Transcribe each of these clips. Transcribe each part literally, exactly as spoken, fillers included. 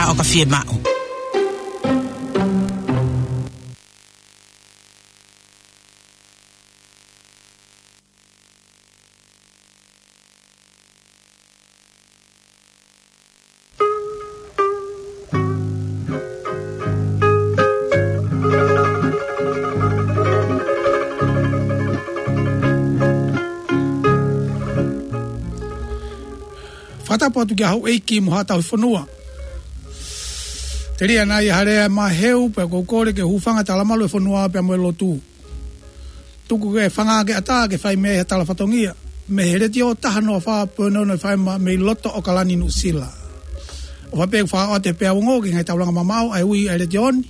ʻo ka fiemaʻu. Fakatapu atu ki he houʻeiki mo haʻa tauhi fonua. Telia naʻa ʻi ai ha lea ʻe maʻu, pea ʻoku ou kole ke hūfanga he talamalu ʻo e fonua pea mo e lotu. Tuku ke fanga ke ʻatā ke fai mei ai ha tala fatongia mei he Letiō taha noa fā poini ono FM mei loto ʻAokalani, Nuʻusila. ʻOfa pē ke fakaʻoatu e peau ongo ki he ngaahi taulanga mamaʻo ʻa e ui ʻa e Letiō ni.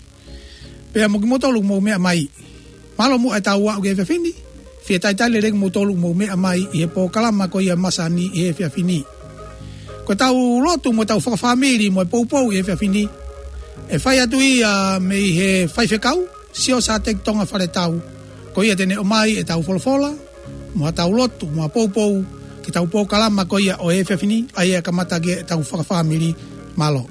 Pea mo kimoutolu ʻoku mou meʻa mai. Mālō muʻa ʻetau aʻu ki he efiafi ni. Fie talitali lelei kimoutolu ʻoku mou meʻa mai ʻi he polokalama ko ia ʻo e masani ʻi he efiafi ni. Ko ʻetau lotu mo ʻetau fakafāmili mo e poupou ʻi he efiafi ni, ʻe fai atu ia mei he faifekau, Siosiua Teki Tonga Faletau. Ko ia te ne ʻomai ʻetau folofola, mo ʻetau lotu, mo e poupou, ki heʻetau polokalama ko ia ʻo e efiafi ni, ʻa ia ʻe kamata ki ai ʻetau fakafāmili. Mālō.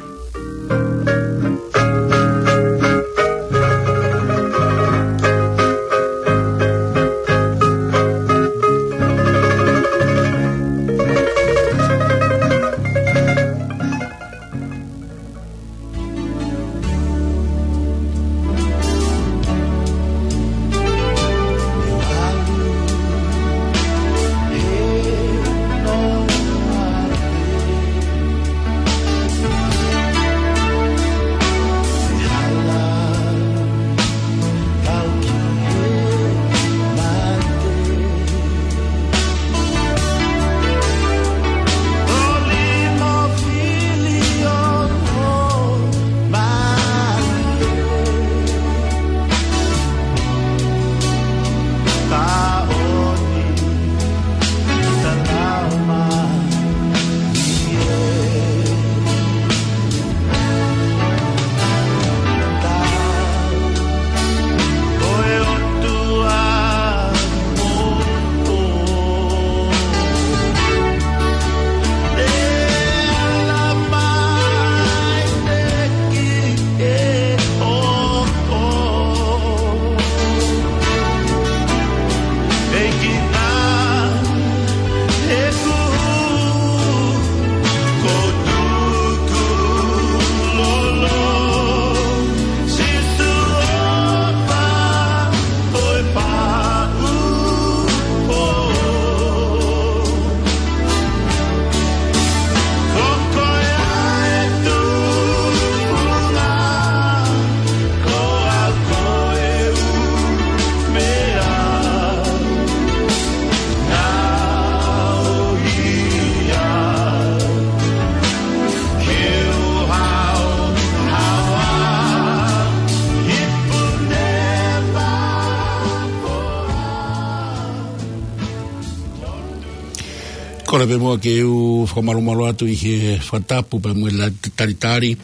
Kole pē muʻa ke u fakamalumalu atu ʻi he fakatapu pea mo e la-, talitali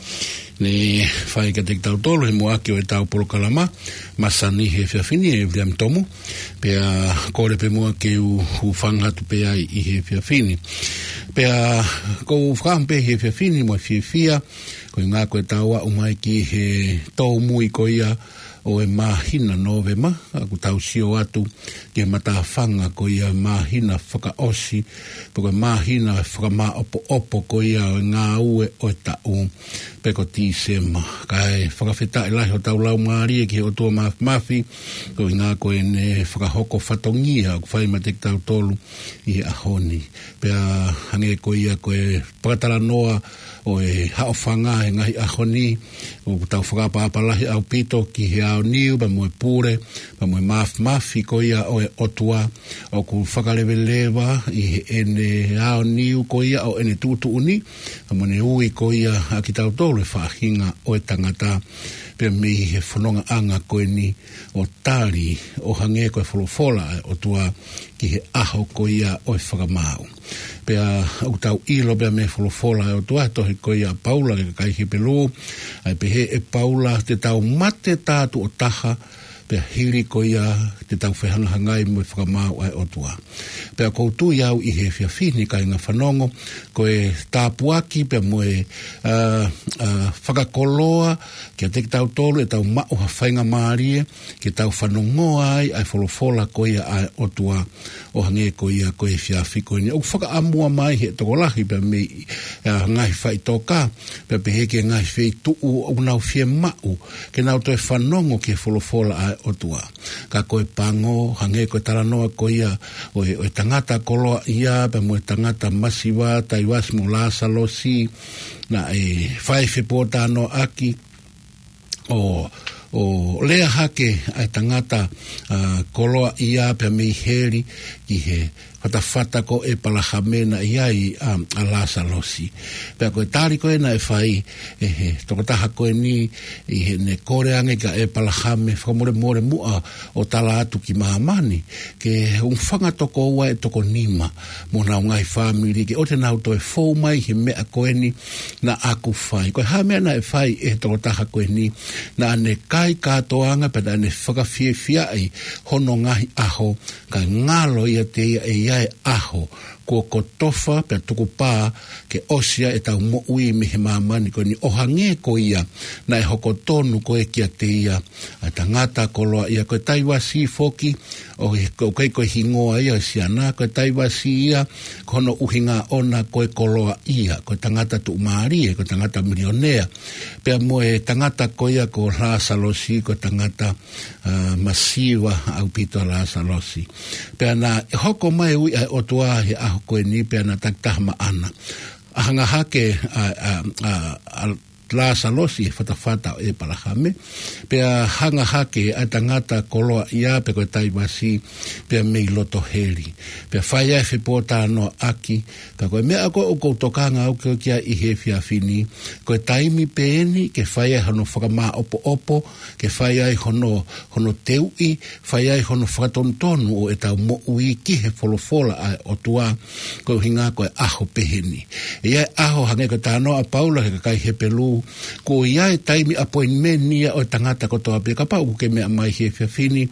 ne fai kiate kitautolu he muʻaki ʻo ʻetau polokalama masani he efiafi ni ʻe Viliami Tomu. Pea kole pē muʻa ke u hūfanga atu pē ai ʻi he efiafi ni. Pea ʻoku ou fakaʻamu pē he efiafi ni mo e fiefia, koeʻuhinga ko ʻetau aʻu mai ki he tōmui ko ia ʻo e māhina Nōvema, ʻoku tau sio atu ki he matāfanga ko ia ʻo e māhina fakaʻosi, pe ko e māhina fakamaʻopoʻopo ko ia ʻo e ngāue ʻo e taʻu, pe ko Tīsema. Kae fakafetaʻi lahi hotau laumālie ki he ʻOtua Māfimafi, koeʻuhinga ko ʻene fakahoko fatongia ʻoku fai meiate kitautolu ʻi he ʻaho ni. Pea hangē ko ia ko e fakatalanoa ʻo e haʻofanga he ngaahi ʻaho ni, ʻoku tau fakaʻapaʻapa lahi ʻaupito ki he aoniu, pea mo e pule, pea mo e māfimafi ko ia ʻo e ʻOtua, ʻoku fakaleveleva ʻi heʻene aoniu ko ia ʻo ʻene tuʻutuʻuni, pea mo ʻene ui ko ia ʻa kitautolu e faʻahinga ʻo e tangata, pea mei he fonongaʻanga ko eni ʻo tali ʻo hangē ko e folofola ʻa e ʻOtua ki he ʻaho ko ia ʻo e fakamaau. Pea ʻoku tau ʻilo pea mei he folofola ʻa e ʻOtua he tohi ko ia ʻa Paula ki he kakai Hepelū, ʻa ia ʻoku pehē ʻe Paula, te tau mate tā tuʻo taha, Pea hili ko ia te tau fehangahangai mo e fakamaau ʻa e ʻOtua. Pea ʻoku ou tui au ʻi he efiafi ni kāinga fanongo, ko e tāpuaki pea mo e, ā, ā, fakakoloa kiate kitautolu ʻetau maʻu ha faingamālie ke tau fanongoa ai ʻa e folofola ko ia ʻa e ʻOtua ʻo hangē ko ia ko e efiafi ko eni. ʻOku fakaʻamua mai he tokolahi pea mei, ā, ngaahi faʻitoka, pea pehē ki he ngaahi feituʻu ʻoku nau fiemaʻu ke nau toe fanongo ki he folofola ʻa e ʻOtua. Ka ko e pango, hangē ko e talanoa ko ia ʻo e, ʻo e tangata koloaʻia pea mo e tangata masiva, Taivasi mo Lāsalosi, naʻe fai fepōtalanoaʻaki ʻo, ʻo lea hake ʻa e tangata, ā, koloaʻia pea mei heli ki he fatafata ko ʻĒpalahame naʻe ʻi ai ʻa, ʻa Lāsalosi. Pea ko e tali ko ē naʻe fai ʻe he tokotaha ko eni ʻi heʻene kole ange kia ʻĒpalahame, fakamolemole muʻa ʻo tala atu ki māmani, ke hūfanga toko ua ʻe toko nima mo honau ngaahi fāmili, ke ʻoua te nau toe fou mai he meʻa ko eni naʻa ku fai. Ko e hā e meʻa naʻe fai ʻe he tokotaha ko eni? Naʻa ne kai kātoanga pea naʻa ne fakafiefiaʻi hono ngaahi ʻaho, kae ngalo ʻiate ia ʻe ʻi ai e ʻaho kuo kotofa pea tukupā ke ʻosi ai ʻetau moʻui mei he māmani ko eni, ʻo hangē ko ia naʻe hoko tonu ko ē kiate ia ʻa e tangata koloaʻia. Ko e Taivasi foki, ʻoku ʻikai ko e hingoa ia ʻo e siana, ko e Taivasi ia ko hono ʻuhinga ʻoʻona ko e koloaʻia, ko e tangata tuʻumālie, ko e tangata milionea. Pea mo e tangata ko ia ko Lāsalosi, ko e tangata, ā, masiva ʻaupito ʻa Lāsalosi. Pea naʻe hoko mai e ui ʻa e ʻOtua he ʻaho ko eni, pea naʻe takitaha maʻana. Hanga hake ʻa, ʻa, ʻa, ʻa Lāsalosi he fatafata ʻo ʻĒpalahame, pea hanga hake ʻa e tangata koloaʻia pe ko e Taivasi pea mei loto heli. Pea fai ai e fepōtalanoaʻaki, ka ko e meʻa ko ē ʻoku ou tokanga au ki ai ʻi he efiafi ni, ko e taimi pē eni ke fai ai hono fakamāʻopoʻopo, ke fai ai hono, hono teuʻi, fai ai hono fakatonutonu ʻo ʻetau moʻui ki he folofola ʻa e ʻOtua, ko e ʻuhinga ko e ʻaho pehē ni. ʻE ʻi ai e ʻaho, hangē ko e talanoa ʻa Paula ki he kakai Hepelū, kuo ʻi ai e taimi appointment ia ʻo e tangata kotoa pē. Kapau ʻoku ke meʻa mai he efiafi ni,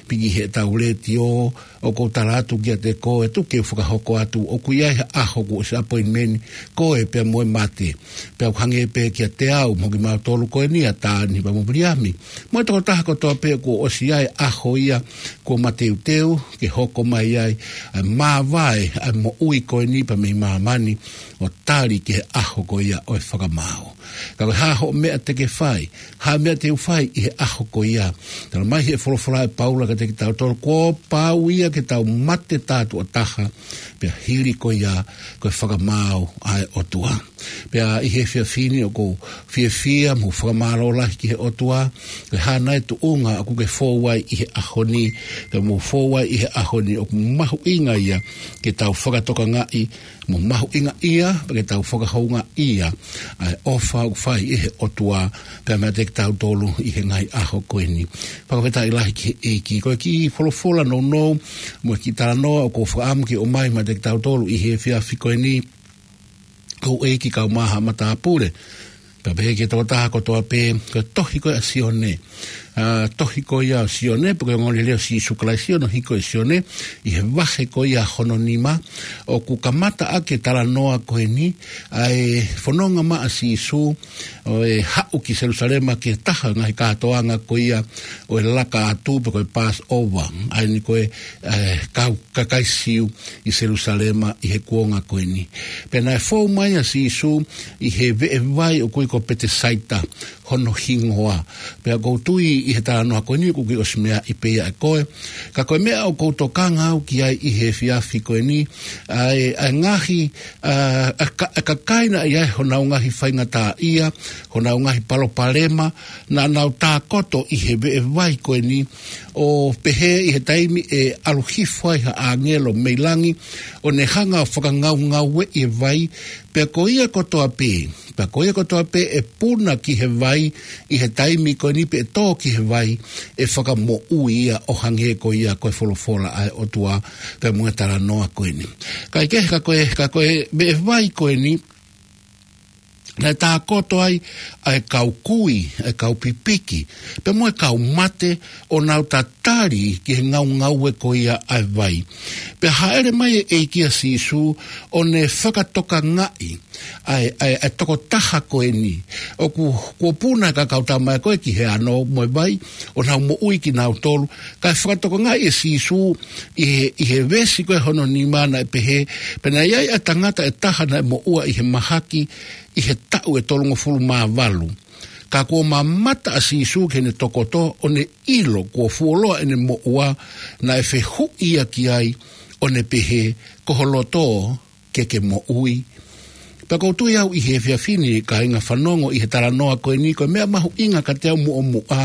piki heʻetau letiō, ʻoku ou tala atu kiate koe, tuku ke u fakahoko atu, ʻoku ʻi ai ha ʻaho kuo ʻosi appointment koe pea mo e mate. Pea ʻoku hangē pē kiate au mo kimautolu ko eni, ʻa Tani pea mo Viliami, mo e tokotaha kotoa pē, kuo ʻosi ʻi ai e ʻaho ia kuo mateuteu ke hoko mai ai ʻa e māvae ʻa e moʻui ko eni pea mei māmani, ʻo tali ki he ʻaho ko ia ʻo e fakamaau. Ka ko e hā hoʻo meʻa te ke fai, hā e meʻa te u fai ʻi he ʻaho ko ia? Talamai ʻe he folofola ʻa Paula kiate kitautolu, kuo pau ia ke tau mate tātuʻa taha, pea hili ko ia ko e fakamaau ʻa e ʻOtua. Pea ʻi he efiafi ni ʻoku ou fiefia mo fakamālō lahi ki he ʻOtua, ko e hā nai e tuʻunga ʻoku ke fou ai ʻi he ʻaho ni, pea mou fou ai ʻi he ʻaho ni, ʻoku mahuʻinga ia ke tau fakatokangaʻi, mo mahuʻingaʻia, pea ke tau fakahoungaʻia ʻa e ʻofa ʻoku fai ʻe he ʻOtua pea meiate kitautolu ʻi he ngaahi ʻaho ko eni. Fakafetaʻi lahi ki he ʻEiki. Ko e kiʻi folofola nounou mo e kiʻi talanoa ʻoku ou fakaʻamu ke ʻomai meiate kitautolu ʻi he efiafi ko eni, ko e ʻEiki kau maha matāpule, pea pehē ki he tokotaha kotoa pē, ko e tohi ko ē ʻa Sione. Ā, tohi ko ia ʻa Sione, pe ko e ongoongolelei ʻo Sīsū Kalaisi, hono hiko ʻe Sione, ʻi he vahe ko ia hono nima, ʻoku kamata ʻaki e talanoa ko eni ʻa e fononga mai ʻa Sīsū ʻo e haʻu ki Selūsalema ki he taha ngaahi kātoanga ko ia ʻo e laka atu pe ko e Passover, ʻa eni ko e, ē, kau kakai Siu ʻi Selūsalema ʻi he kuonga ko eni. Pea naʻe fou mai ʻa Sīsū ʻi he veʻevai ʻoku ui ko Petesaita hono hingoa. Pea ʻoku ou tui ʻi he talanoa ko eni ʻoku ke ʻosi meaʻi pē ia ʻe koe. Ka ko e meʻa ʻoku ou tokanga au ki ai ʻi he efiafi ko eni, ʻa e, ʻa e ngaahi, ā, ʻa e ka-, ʻa e kakai naʻe ʻi ai honau ngaahi faingataʻaʻia, honau ngaahi palopalema, naʻa nau tākoto ʻi he veʻevai ko eni, ʻo pehē ʻi he taimi ʻe ʻalu hifo ai ha ʻāngelo mei langi, ʻo ne hanga ʻo fakangaungaueʻi e vai, pea ko ia kotoa pē, pea ko ia kotoa pē ʻe puna ki he vai ʻi he taimi ko eni pe ʻe tō ki he vai, ʻe fakamoʻui ia ʻo hangē ko ia ko e folofola ʻa e ʻOtua pea mo e talanoa ko eni. Kae kehe, ka ko e, ka ko e veʻevai ko eni, naʻe tākoto ai ʻa e kau kui, ʻa e kau pipiki, pea mo e kau mate, ʻo nau tatali ki he ngaungaue ko ia ʻa e vai. Pea hāʻele mai e ʻEiki ʻa Sīsū, ʻo ne fakatokangaʻi ʻa e, ʻa e, ʻa e tokotaha ko eni. ʻOku, kuo puna e kakai tama ko ē ki he ano mo e vai, ʻo nau moʻui kinautolu. Kae fakatokangaʻi ʻe Sīsū ʻi he, ʻi he veesi ko ē hono nima naʻe pehē, pea naʻe ʻi ai ʻa e tangata ʻe taha naʻe moʻua ʻi he mahaki, ʻi he taʻu ʻe tolungofulu mā valu. Ka kuo mamata ʻa Sīsū ki heʻene tokoto, ʻo ne ʻilo kuo fuoloa ʻene moʻua, naʻe fehuʻi ia ki ai, ʻo ne pehē, ko ho loto ke ke moʻui. Pea ʻoku ou tui au ʻi he efiafi ni, kāinga fanongo, ʻi he talanoa ko eni, ko e meʻa mahuʻinga kiate au muʻomuʻa,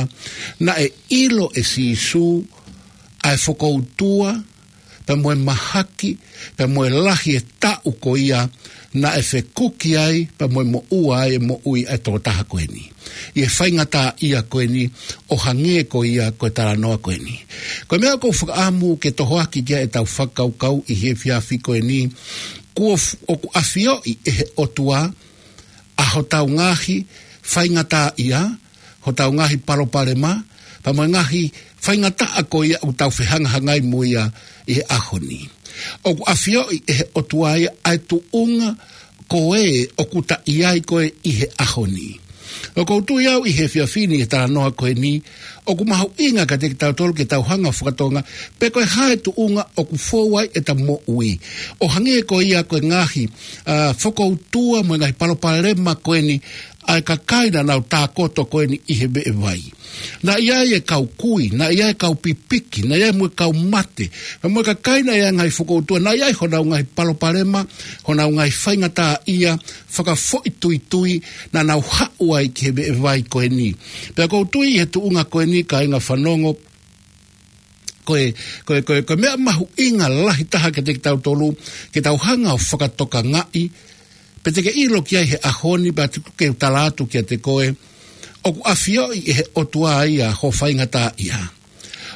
naʻe ʻilo ʻe Sīsū ʻa e fokoutua, pea mo e mahaki, pea mo e lahi e taʻu ko ia naʻe fekuki ai, pea mo e moʻua ai e moʻui ʻa e tokotaha ko eni. ʻI he faingataʻaʻia ko eni, ʻo hangē ko ia ko e talanoa ko eni. Ko e meʻa ʻoku ou fakaʻamu ke tohoaki ki ai ʻetau fakakaukau ʻi he efiafi ko eni, kuo f-, ʻoku ʻafioʻi ʻe he ʻOtua ʻa hotau ngaahi faingataʻaʻia, hotau ngaahi palopalema, pea mo e ngaahi faingataʻa ko ia ʻoku tau fehangahangai mo ia ʻi he ʻaho ni. ʻOku ʻafioʻi ʻe he ʻOtua ia ʻa e tuʻunga ko ē ʻoku ta ʻi ai ko ē ʻi he ʻaho ni. ʻOku ou tui au ʻi he efiafi ni ʻi he talanoa ko eni, ʻoku mahuʻinga kiate kitautolu ke tau hanga ʻo fakatokangaʻi, pe ko e hā e tuʻunga ʻoku fou ai ʻeta moʻui. ʻO hangē ko ia ko e ngaahi, ʻa, fokoutua mo e ngaahi palopalema ko eni, ʻa e kakai naʻa nau tākoto ko eni ʻi he veʻe vai. Naʻe ʻi ai e kau kui, naʻe ʻi ai e kau pipiki, naʻe ʻi ai mo e kau mate. Pea mo e kakai naʻe ʻi ai e ngaahi fokoutua, naʻe ʻi ai honau ngaahi palopalema, honau ngaahi faingataʻaʻia, fakafoʻituitui, naʻa nau haʻu ai ki he veʻe vai ko eni. Pea ʻoku ou tui ʻi he tuʻunga ko eni kāinga fanongo, ko e, ko e, ko e, ko e meʻa mahuʻinga lahi taha kiate kitautolu, ke tau hanga ʻo fakatokangaʻi, pe te ke ʻilo ki ai he ʻaho ni, pea tuku ke u tala atu kiate koe, ʻoku ʻafioʻi ʻe he ʻOtua ia ho faingataʻaʻia.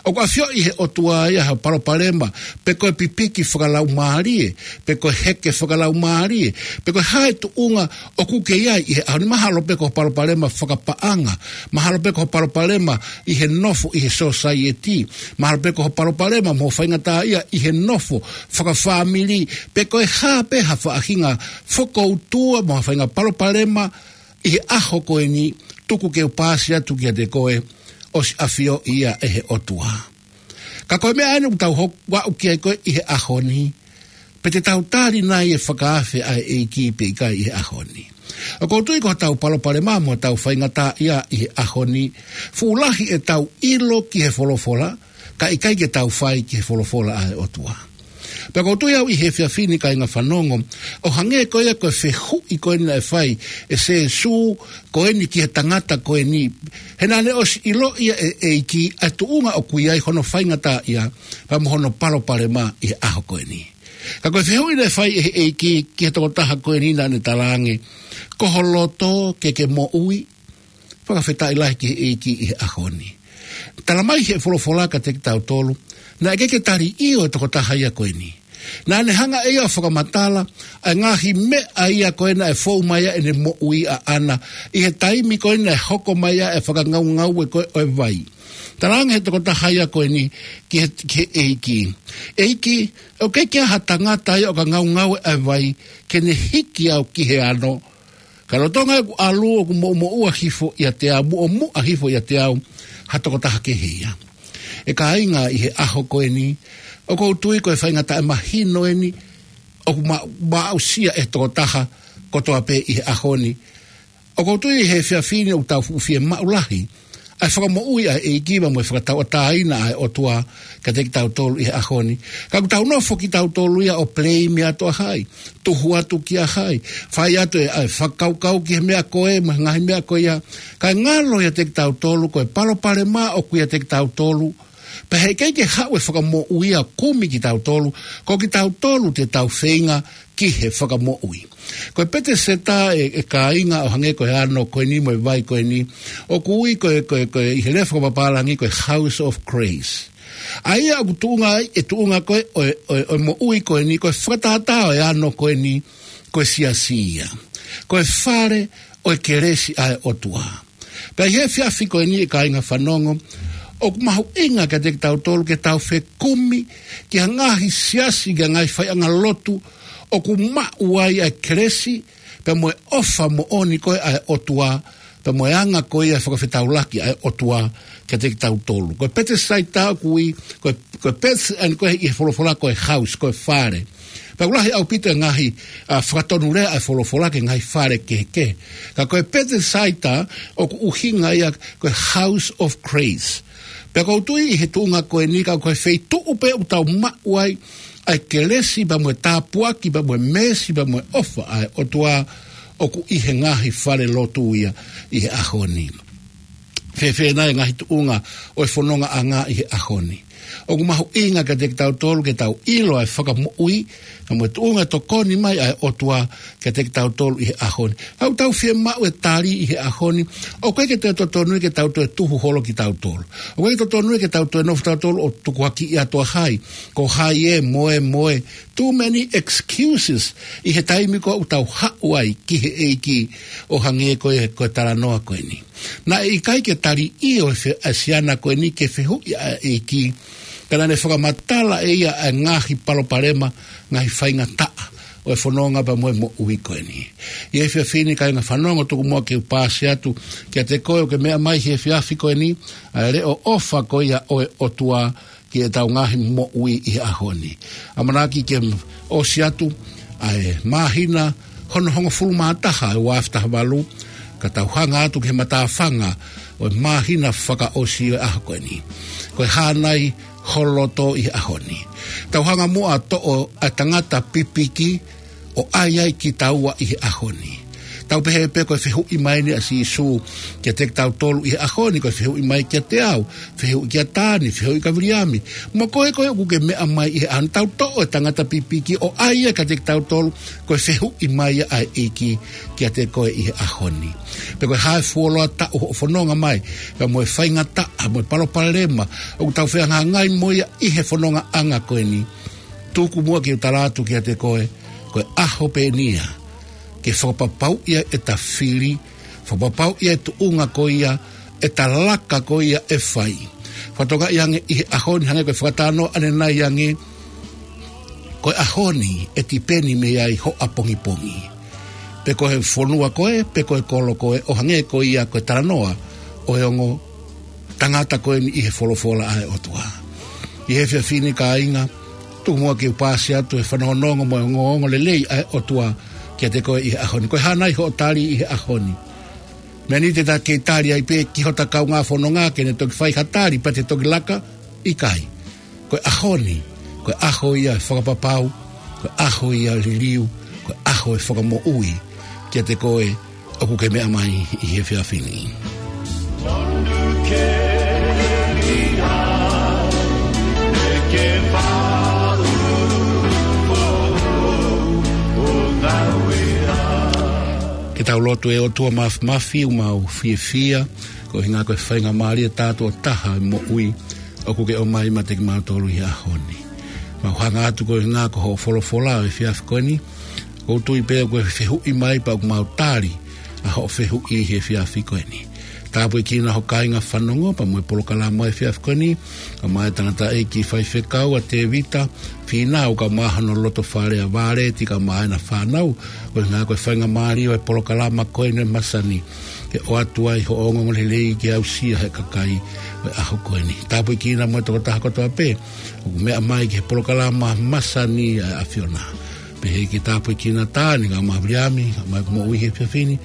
ʻOku ʻafioʻi ʻe he ʻOtua ia ho palopalema, pe ko e pipiki fakalaumālie, pe ko e heke fakalaumālie, pe ko e hā e tuʻunga ʻoku ke ʻi ai ʻi he ʻaho ni. Mahalo pē ko ho palopalema fakapaʻanga, mahalo pē ko ho palopalema ʻi he nofo ʻi he sōsaieti, mahalo pē ko ho palopalema mo ho faingataʻaʻia ʻi he nofo fakafāmili, pe ko e hā pē ha faʻahinga fokoutua mo ha faʻahinga palopalema ʻi he ʻaho ko eni, tuku ke u paasi atu kiate koe, ʻosi ʻafioʻi ia ʻe he ʻOtua. Ka ko e meʻa eni ʻoku tau hoko atu ki ai ko ē ʻi he ʻaho ni, pe te tau tali nai e fakaafe ʻa e ʻEiki pe ʻikai ʻi he ʻaho ni. ʻOku ou tui ko hotau palopalema mo hotau faingataʻaʻia ʻi he ʻaho ni, fuʻu lahi ʻetau ʻilo ki he folofola, ka ʻikai ke tau fai ki he folofola ʻa e ʻOtua. Pea ʻoku ou tui au ʻi he efiafi ni kāinga fanongo, ʻo hangē ko ia ko e fehuʻi ko eni naʻe fai ʻe Sīsū ko eni ki he tangata ko eni. He naʻa ne ʻosi ʻiloʻi ia ʻe he ʻEiki ʻa e tuʻunga ʻoku ʻi ai hono faingataʻaʻia, pea mo hono palopalema ʻi he ʻaho ko eni. Ka ko e fehuʻi naʻe fai ʻe he ʻEiki ki he tokotaha ko eni naʻa ne talaange, ko ho loto ke ke moʻui, fakafetaʻi lahi ki he ʻEiki ʻi he ʻaho ni. Tala mai he folofola kiate kitautolu, naʻe ʻikai ke tali ʻio e tokotaha ia ko eni. Naʻa ne hanga ʻe ia ʻo fakamatala ʻa e ngaahi meʻa ia ko ē naʻe fou mai ai ʻene moʻui ʻaʻana, ʻi he taimi ko ē naʻe hoko mai ai e fakangaungaue ko ē ʻo e vai. Talaange he tokotaha ia ko eni ki he, ki he ʻEiki, ʻEiki, ʻoku ʻikai ke ʻi ai ha tangata ia ʻoku ngaungaue ʻa e vai, ke ne hiki au ki he ano, ka lolotonga ʻeku ʻalu ʻoku moʻumoʻua hifo ʻiate au, muʻomuʻa hifo ʻiate au ha tokotaha kehe ia. ʻE kāinga, ʻi he ʻaho ko eni, ʻoku ou tui ko e faingataʻa mahino eni ʻoku ma-, maʻusia ʻe he tokotaha kotoa pē ʻi he ʻaho ni. ʻOku ou tui ʻi he efiafi ni ʻoku tau fuʻu fiemaʻu lahi ʻa e fakamoʻui ʻa e ʻEiki mo e fakatauʻatāina ʻa e ʻOtua kiate kitautolu ʻi he ʻaho ni. Ka ʻoku tau nofo kitautolu ia ʻo blame atu ʻa hai, tuhu atu kia hai, fai atu e, ʻa e fakakaukau ki he meʻa ko ē mo e ngaahi meʻa ko ia. Kae ngalo ʻiate kitautolu ko e palopalema ʻoku ʻiate kitautolu, pea heʻikai ke haʻu e fakamoʻui ia ʻo kumi kitautolu, ko kitautolu te tau feinga ki he fakamoʻui. Ko e Peteseta, ʻe, ʻe kāinga, ʻo hangē ko e ano ko eni mo e vai ko eni, ʻoku ui ko e, ko e, ko e, ʻi he lea fakapapālangi ko e House of Grace. ʻA ia ʻoku tuʻunga ai e tuʻunga ko ē ʻo e, ʻo e, ʻo e moʻui ko eni, ko e fakatātā ʻo e ano ko eni, ko e siasi ia. Ko e fale ʻo e kelesi ʻa e ʻOtua. Pea ʻi he efiafi ko eni, ʻe kāinga fanongo, ʻoku mahuʻinga kiate kitautolu ke tau fekumi ki he ngaahi siasi, ki he ngaahi faiʻanga lotu ʻoku maʻu ai ʻa e kelesi pea mo e ʻofa moʻoni ko ē ʻa e ʻOtua, pea mo e anga ko ia e fakafetaulaki ʻa e ʻOtua kiate kitautolu. Ko e Petesaita ʻoku ui, ko e, ko e Pete ʻeni ko ē ʻi he folofola ko e house, ko e fale. Pea ʻoku lahi ʻaupito e ngaahi, ʻa, fakatonulea ʻa e folofola ki he ngaahi fale kehekehe. Ka ko e Petesaita ʻoku ʻuhinga ia ko e House of Grace. Pea ʻoku ou tui ʻi he tuʻunga ko eni, ka ko e feituʻu pē ʻoku tau maʻu ai ʻa e kelesi pea mo e tāpuaki pea mo e meesi pea mo e ʻofa ʻa e ʻOtua, ʻoku ʻi he ngaahi fale lotu ia ʻi he ʻaho ni. Fēfē nai e ngaahi tuʻunga ʻo e fonongaʻanga ʻi he ʻaho ni? ʻOku mahuʻinga kiate kitautolu ke tau ʻilo ʻa e fakamoʻui, ka mo e tuʻunga tokoni mai ʻa e ʻOtua kiate kitautolu ʻi he ʻaho ni. ʻOku tau fiemaʻu e tali ʻi he ʻaho ni, ʻoku ʻikai ke toe totonu ia ke tau toe tuhu holo kitautolu. ʻOku ʻikai ke totonu ia ke tau toe nofo tautolu ʻo tukuakiʻi atu ʻa hai, ko hai ē, mo ē, mo ē. Too many excuses ʻi he taimi ko ē ʻoku tau haʻu ai ki he ʻEiki, ʻo hangē ko e, ko e talanoa ko eni. Naʻe ʻikai ke tali ʻe he fe-, ʻa e siana ko eni ki he fehuʻi ʻa e ʻEiki, ka naʻa ne fakamatala ʻe ia ʻa e ngaahi palopalema, ngaahi faingataʻa ʻo e fononga pea mo e moʻui ko eni. ʻI he efiafi ni, kāinga fanongo, tuku muʻa ke u paasi atu kiate koe ʻoku ke meʻa mai he efiafi ko eni, ʻa e leʻo ʻofa ko ia ʻo e ʻOtua ki heʻetau ngaahi moʻui ʻi he ʻaho ni. ʻAmanaki ke ʻosi atu ʻa e māhina hono hongofulu mā taha ʻo e ua afe taha valu, ka tau hanga atu ki he matāfanga ʻo e māhina fakaʻosi ʻo e ʻaho ko eni. Ko e hā nai ho loto ʻi he ʻaho ni? Tau hanga muʻa ʻo toʻo ʻa e tangata pipiki ʻo ʻai ai kitaua ʻi he ʻaho ni. Tau pehē pē ko e fehuʻi mai eni ʻa Sīsū kiate kitautolu ʻi he ʻaho ni, ko e fehuʻi mai kiate au, fehuʻi kia Tani, fehuʻi kia Viliami, mo koe ko ē ʻoku ke meʻa mai ʻi he ʻaho ni. Tau toʻo e tangata pipiki ʻo ʻai ia kiate kitautolu, ko e fehuʻi mai ia ʻa e ʻEiki kiate koe ʻi he ʻaho ni. Pe ko e hā e fuoloa taʻu hoʻo fononga mai, pea mo e faingataʻa, mo e palopalema ʻoku tau fehangahangai mo ia ʻi he fonongaʻanga ko eni. Tuku muʻa ke u tala atu kiate koe, ko e ʻaho pē eni ia ke fakapapauʻi ai ʻeta fili, fakapapauʻi ai e tuʻunga ko ia ʻeta laka ko ia ʻe fai. Fakatokangaʻi ange ʻi he ʻaho ni, hangē ko e fakatalanoa ʻanenai ange, ko e ʻaho ni ʻe tipeni mei ai ho ʻapongipongi. Pe ko e fonua ko ē, pe ko e kolo ko ē, ʻo hangē ko ia ko e talanoa ʻo e ongo tangata ko eni ʻi he folofola ʻa e ʻOtua. ʻI he efiafi ni, kāinga, tuku muʻa ke u paasi atu e fanongonongo mo e ongoongo lelei ʻa e ʻOtua kiate koe ʻi he ʻaho ni. Ko e hā nai hoʻo tali ʻi he ʻaho ni? Meʻa ni te ta kei tali ai pē ki hota kaungā fononga ke ne toki fai ha tali pea te toki laka? ʻIkai. Ko e ʻaho ni, ko e ʻaho ia e fakapapau, ko e ʻaho ia e liliu, ko e ʻaho e fakamoʻui kiate koe ʻoku ke meʻa mai ʻi he efiafi ni. Ke tau lotu. ʻE ʻOtua Māfimafi, ʻoku mau fiefia koeʻuhinga ko e faingamālie tātuʻo taha e moʻui ʻoku ke ʻomai maʻa kimautolu ʻi he ʻaho ni. Mau hanga atu koeʻuhinga ko hoʻo folofola ʻo e efiafi ko eni. ʻOku ou tui pē ʻoku ke fehuʻi mai pea ʻoku mau tali ʻa hoʻo fehuʻi he efiafi ko eni. Tāpuekina ho kāinga fanongo pea mo e polokalama he efiafi ko eni. Kae ʻumaʻā e tangataʻeiki faifekau ʻa Tēvita Fīnau, kae ʻumaʻā hono lotofale ʻa Vāleti, kae ʻumaʻā ʻena fānau. Koeʻuhinga ko e faingamālie ʻo e polokalama ko eni ʻo e masani, ke ʻoatu ai hoʻo ongoongolelei ke aʻusia ʻe he kakai ʻo e ʻaho ko eni. Tāpuekina mo e tokotaha kotoa pē ʻoku meʻa mai ki he polokalama masani ʻa e ʻAfiona. Pehē ke tāpuekina Tani kae ʻumaʻā Viliami, kae ʻumaʻā ʻeku moʻui he efiafi ni,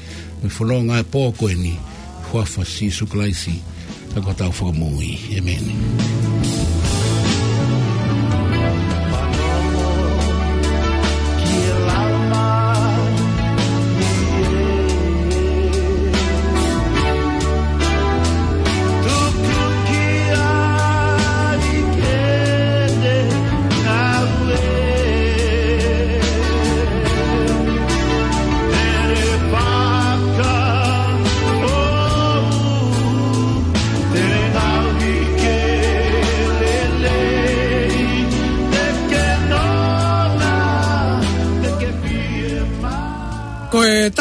mo e fononga e pō ko eni, huafa Sīsū Kalaisi, ka ko hotau Fakamoʻui. ʻEmeni.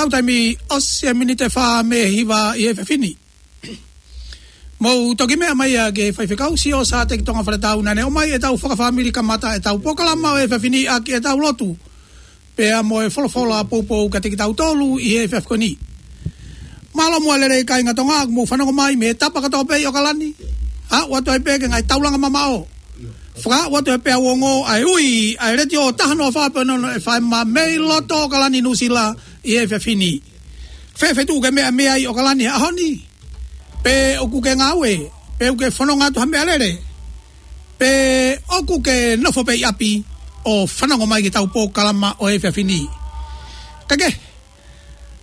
Tau taimi ʻosi e miniti ʻe fā mei he hiva ʻi he efiafi ni. Mou toki meʻa mai ā ki he faifekau Siosa Teki Tonga Faletau naʻa ne ʻomai ʻetau fakafāmili kamata ʻetau polokalama ʻo e efiafi ni ʻaki ʻetau lotu. Pea mo e folofola poupou kiate kitautolu ʻi he efiafi ko eni. Mālō muʻa e lelei kāinga Tonga, ʻoku mou fanongo mai mei he tapa kotoa pē ʻi ʻOkalani. Aʻu atu ai pē ki he ngaahi taulanga mamaʻo. Fakaʻau atu he peau ongo ʻa e ui ʻa e Letiō taha noa fā poini ono FM mei loto ʻOkalani Nuʻusila ʻi he efiafi ni. Fēfē tuʻu ke meʻa mei ai ʻOkalani he ʻaho ni? Pe ʻoku ke ngāue, pe ʻoku ke fononga atu ha meʻalele, pe ʻoku ke nofo pē ʻi ʻapi ʻo fanongo mai ki heʻetau polokalama ʻo e efiafi ni. Ka ke,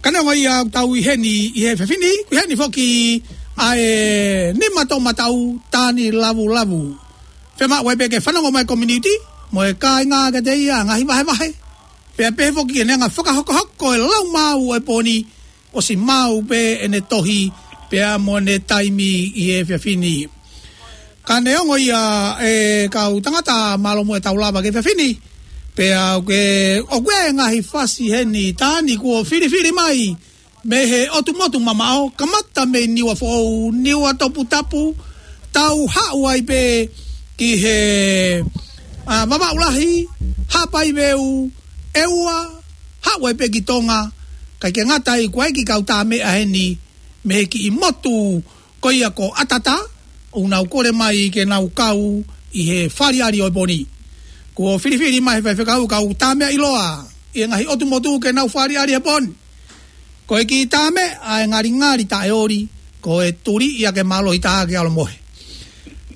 ka neongo ia ʻoku tau ʻi heni ʻi he efiafi ni, ʻi heni foki ʻa e nima toʻomataʻu Tani Lavulavu. Fiemaʻu ai pē ke fanongo mai e community mo e kāinga kiate ia ngaahi vahevahe. Pea pehē foki ke ne hanga ʻo fakahokohoko e lau maau ʻo e pō ni, ʻosi maau pē ʻene tohi pea mo ʻene taimi ʻi he efiafi ni. Ka neongo ia e kau tangata, mālō muʻa ʻetau lava ki he efiafi ni. Pea ʻoku, ʻoku ʻi ai e ngaahi fasi heni Tani kuo filifili mai mei he ʻotu motu mamaʻo, kamata mei Niuafoʻou, Niuatoputapu, tau haʻu ai pē ki he, ā, Vavaʻu Lahi, Haʻapai Veu, ʻEua, haʻu ai pē ki Tonga, kae ʻikai ke ngata ai, kuo ʻi ai e kiʻi kau tāmeʻa heni mei he kiʻi motu ko ia ko ʻAtata, ʻoku nau kole mai ke nau kau ʻi he faliali ʻo e pō ni. Kuo filifili mai he faifekau e kau tāmeʻa ʻiloa ʻi he ngaahi ʻotu motu ke nau faliali he pō ni. Ko e kiʻi tāmeʻa ʻa e ngalingali taʻeoli, ko e tuli ia ke mālohi taha ke ʻalu ʻo mohe.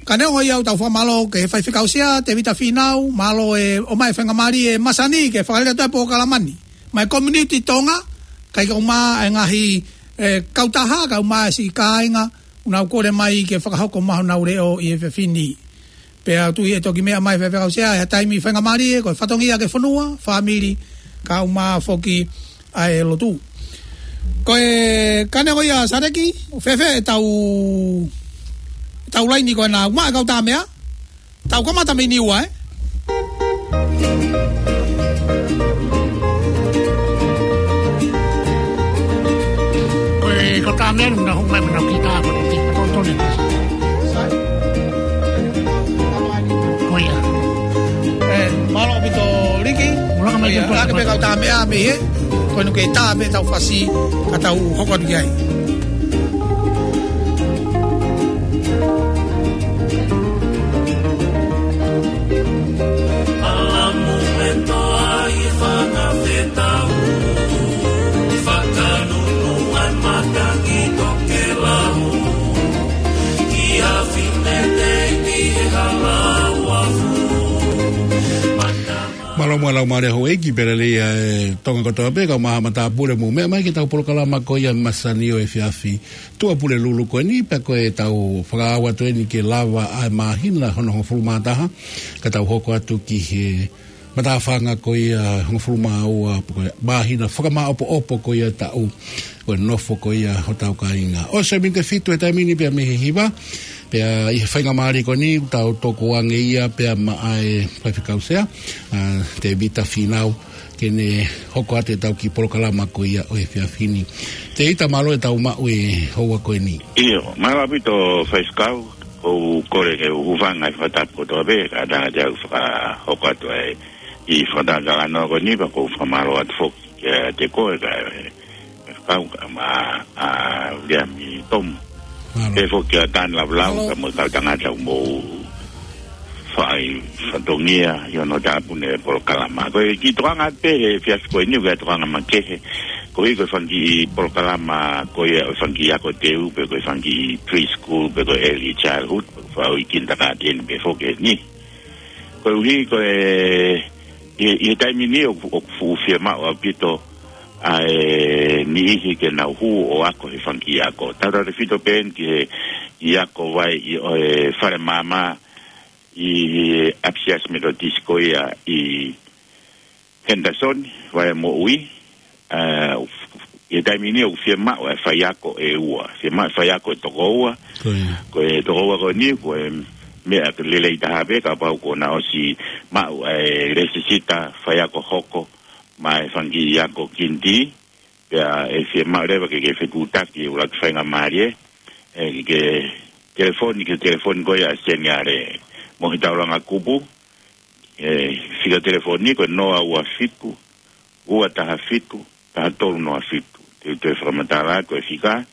Ka neongo ia ʻoku tau fakamālō ki he faifekau Sea, Tēvita Fīnau, mālō e ʻomai e faingamālie e masani ke fakalele atu e polokalama ni. Mei he community Tonga, kae ʻumaʻā e ngaahi, e, kautaha, kae ʻumaʻā e siʻi kāinga, ʻoku nau kole mai ke fakahoko mai honau leʻo ʻi he efiafi ni. Pea ʻoku tui ʻe toki meʻa mai e faifekau Sea ʻi ha taimi faingamālie, ko e fatongia ki he fonua, fāmili, kae ʻumaʻā foki ʻa e lotu. Ko e, ka neongo ia Sadeki, fēfē ʻetau, ʻetau laini ko ena, ʻoku maʻu e kau tāmeʻa, tau kamata mei Niua, ē? Ko e kau tāmeʻa ni, na hou mai, na kita, ko e kita, ko e kita. Ko ia. Ē, mālō ʻaupito Liki. Ula ka mai. Ko ia, ke ʻoatu pē kau tāmeʻa mei hē. Ko ʻene kei tā pē ʻetau fasi, ka tau hoko atu ki ai. Alamu e toa i fanga fetau, i fakanunu ai matangi tokelau, i afi mete i ki he hala uafu. Mālō muʻa e laumālie houʻeiki pea lelei ā e Tonga kotoa pē, kau maha matāpule mou meʻa mai ki heʻetau polokalama ko ia masani ʻo e efiafi Tuʻapulelulu ko eni, pea ko ʻetau fakaʻau atu eni ke lava ʻa e māhina hono hongofulu mā taha, ka tau hoko atu ki he matāfanga ko ia hongofulu mā ua, ko e māhina fakamāʻopoʻopo ko ia taʻu, ko e nofo ko ia hotau kāinga. ʻOsi e miniti ʻe fitu he taimi ni pea mei he hiva, pea ʻi he faingamālie ko eni, tau tokanga ia pea maʻa e faifekau Sea, ā, Tēvita Fīnau, ke ne hoko atu ʻetau kiʻi polokalama ko ia ʻo e efiafi ni. Tēvita, mālō e tau maʻu e houa ko eni. ʻIo, mālō ʻaupito faifekau, ʻoku ou kole ke u hūfanga he fakatapu kotoa pē, ka tangata au fakahoko atu ai e fakataha talanoa ko eni, pea ʻoku ou fakamālō atu foki kiate koe, ka e, kau ka ma, ā, Viliami Tomu. Mālō. Pehē foki kia Tani Lavulavu, mālō, ka mo e kau tangata ʻoku mou fai fatongia ʻi hono tāpuni e polokalama. Ko e kiʻi tokanga pē he efiafi ko eni, ko e tokanga makehe. Koeʻuhi ko e fanga kiʻi polokalama ko ia ʻo e fanga kiʻi ako teu, pe ko e fanga kiʻi preschool, pe ko e early childhood, pe ko e fakaʻuhi kindergarten pē foki eni. Koeʻuhi ko e, ʻi, ʻi he taimi ni ʻoku, ʻoku fuʻu fiemaʻu ʻaupito ʻa e niʻihi ke nau hū ʻo ako he fanga kiʻi ako. Tautautefito pē eni ki he kiʻi ako vai ʻi, ʻo e fale maama ʻi he ʻApisiasi Metotisi ko ia ʻi Henderson, Vai ʻa Moʻui, ā, ʻi he taimi ni ʻoku fiemaʻu e faiako ʻe ua, fiemaʻu e faiako ʻe toko ua, ko ia, ko e toko ua ko eni, ko e meʻa lelei taha pē, kapau kuo na ʻosi maʻu e lēsisita faiako hoko maʻa e fanga kiʻi ako kinitī, Pea ʻe fiemaʻu leva ke ke fetuʻutaki ʻuluaki faingamālie, ʻe ke telefoni, ke telefoni ko ia ʻa Seniale Mohitaulanga Kupu, ʻe fika telefoni ko e noa ua fitu, ua taha fitu, taha tolu noa fitu. Te u toe fakamatala atu e fika,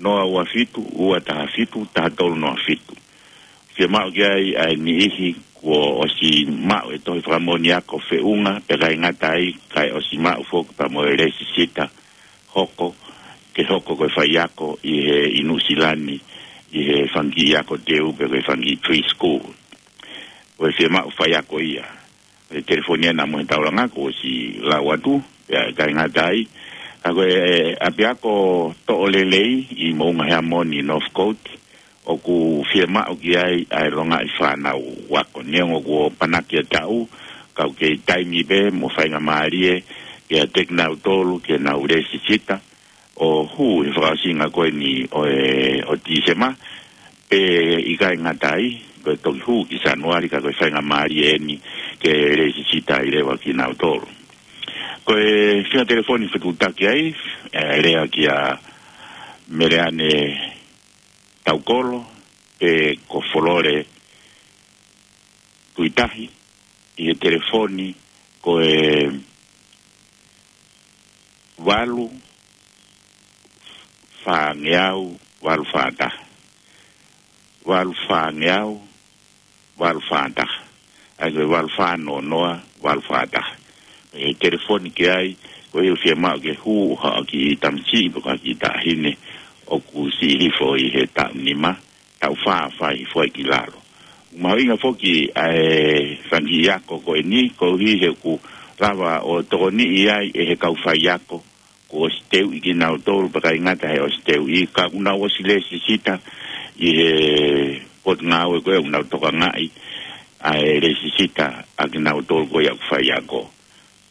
noa ua fitu, ua taha fitu, taha tolu noa fitu. Fiemaʻu ki ai ʻa e niʻihi kuo ʻosi maʻu e tohi fakamoʻoni ako feʻunga, pea ʻikai ngata ai, kae ʻosi maʻu foki pea mo e lēsisita hoko, ke hoko ko e faiako ʻi he, ʻi Nuʻusila ni, ʻi he fanga kiʻi ako teu pe ko e fanga kiʻi preschool. Ko e fiemaʻu faiako ia. ʻE telefoni ʻa Mohitaulanga kuo ʻosi lau atu, pea ʻikai ngata ai. Ka ko e ʻapiako Toʻolelei ʻi Moʻunga Heamoni, Northcote, ʻoku fiemaʻu ki ai ʻa e longaʻi fānau ako. Neongo kuo panaki ʻa e taʻu, ka ʻoku kei taimi pē mo faingamālie, ke ʻiate kinautolu ke nau lēsisita, ʻo hū he fakaʻosinga ko eni ʻo e, ʻo Tīsema, pea ʻikai ngata ai, ko e toki hū ki Sānuali ka ko e faingamālie eni ke lēsisita ai leva kinautolu. Ko e fika telefoni fetuʻutaki ai, ʻe lea kia Meleane Taukolo, pe ko Folole Tuitahi, ʻi he telefoni ko e valu fāngeau valu fā taha. Valu fāngeau valu fā taha. ʻA ia ko e valu fā noa noa valu fā taha. ʻE telefoni ki ai, ko ia ʻoku fiemaʻu ke hū ha kiʻi tamasiʻi pe ko ha kiʻi taʻahine ʻoku siʻi hifo ʻi he taʻu nima, taʻu fā fai hifo ai ki lalo. Mahuʻinga foki ʻa e fanga kiʻi ako ko eni, koeʻuhi he ʻoku lava ʻo tokoniʻi ai ʻe he kau faiako kuo ʻosi teuʻi kinautolu, pea ʻikai ngata he ʻosi teuʻi, ka ʻoku nau ʻosi lēsisita ʻi he potungāue ko ē ʻoku nau tokangaʻi ʻa e lēsisita ʻa kinautolu ko ia ʻoku faiako.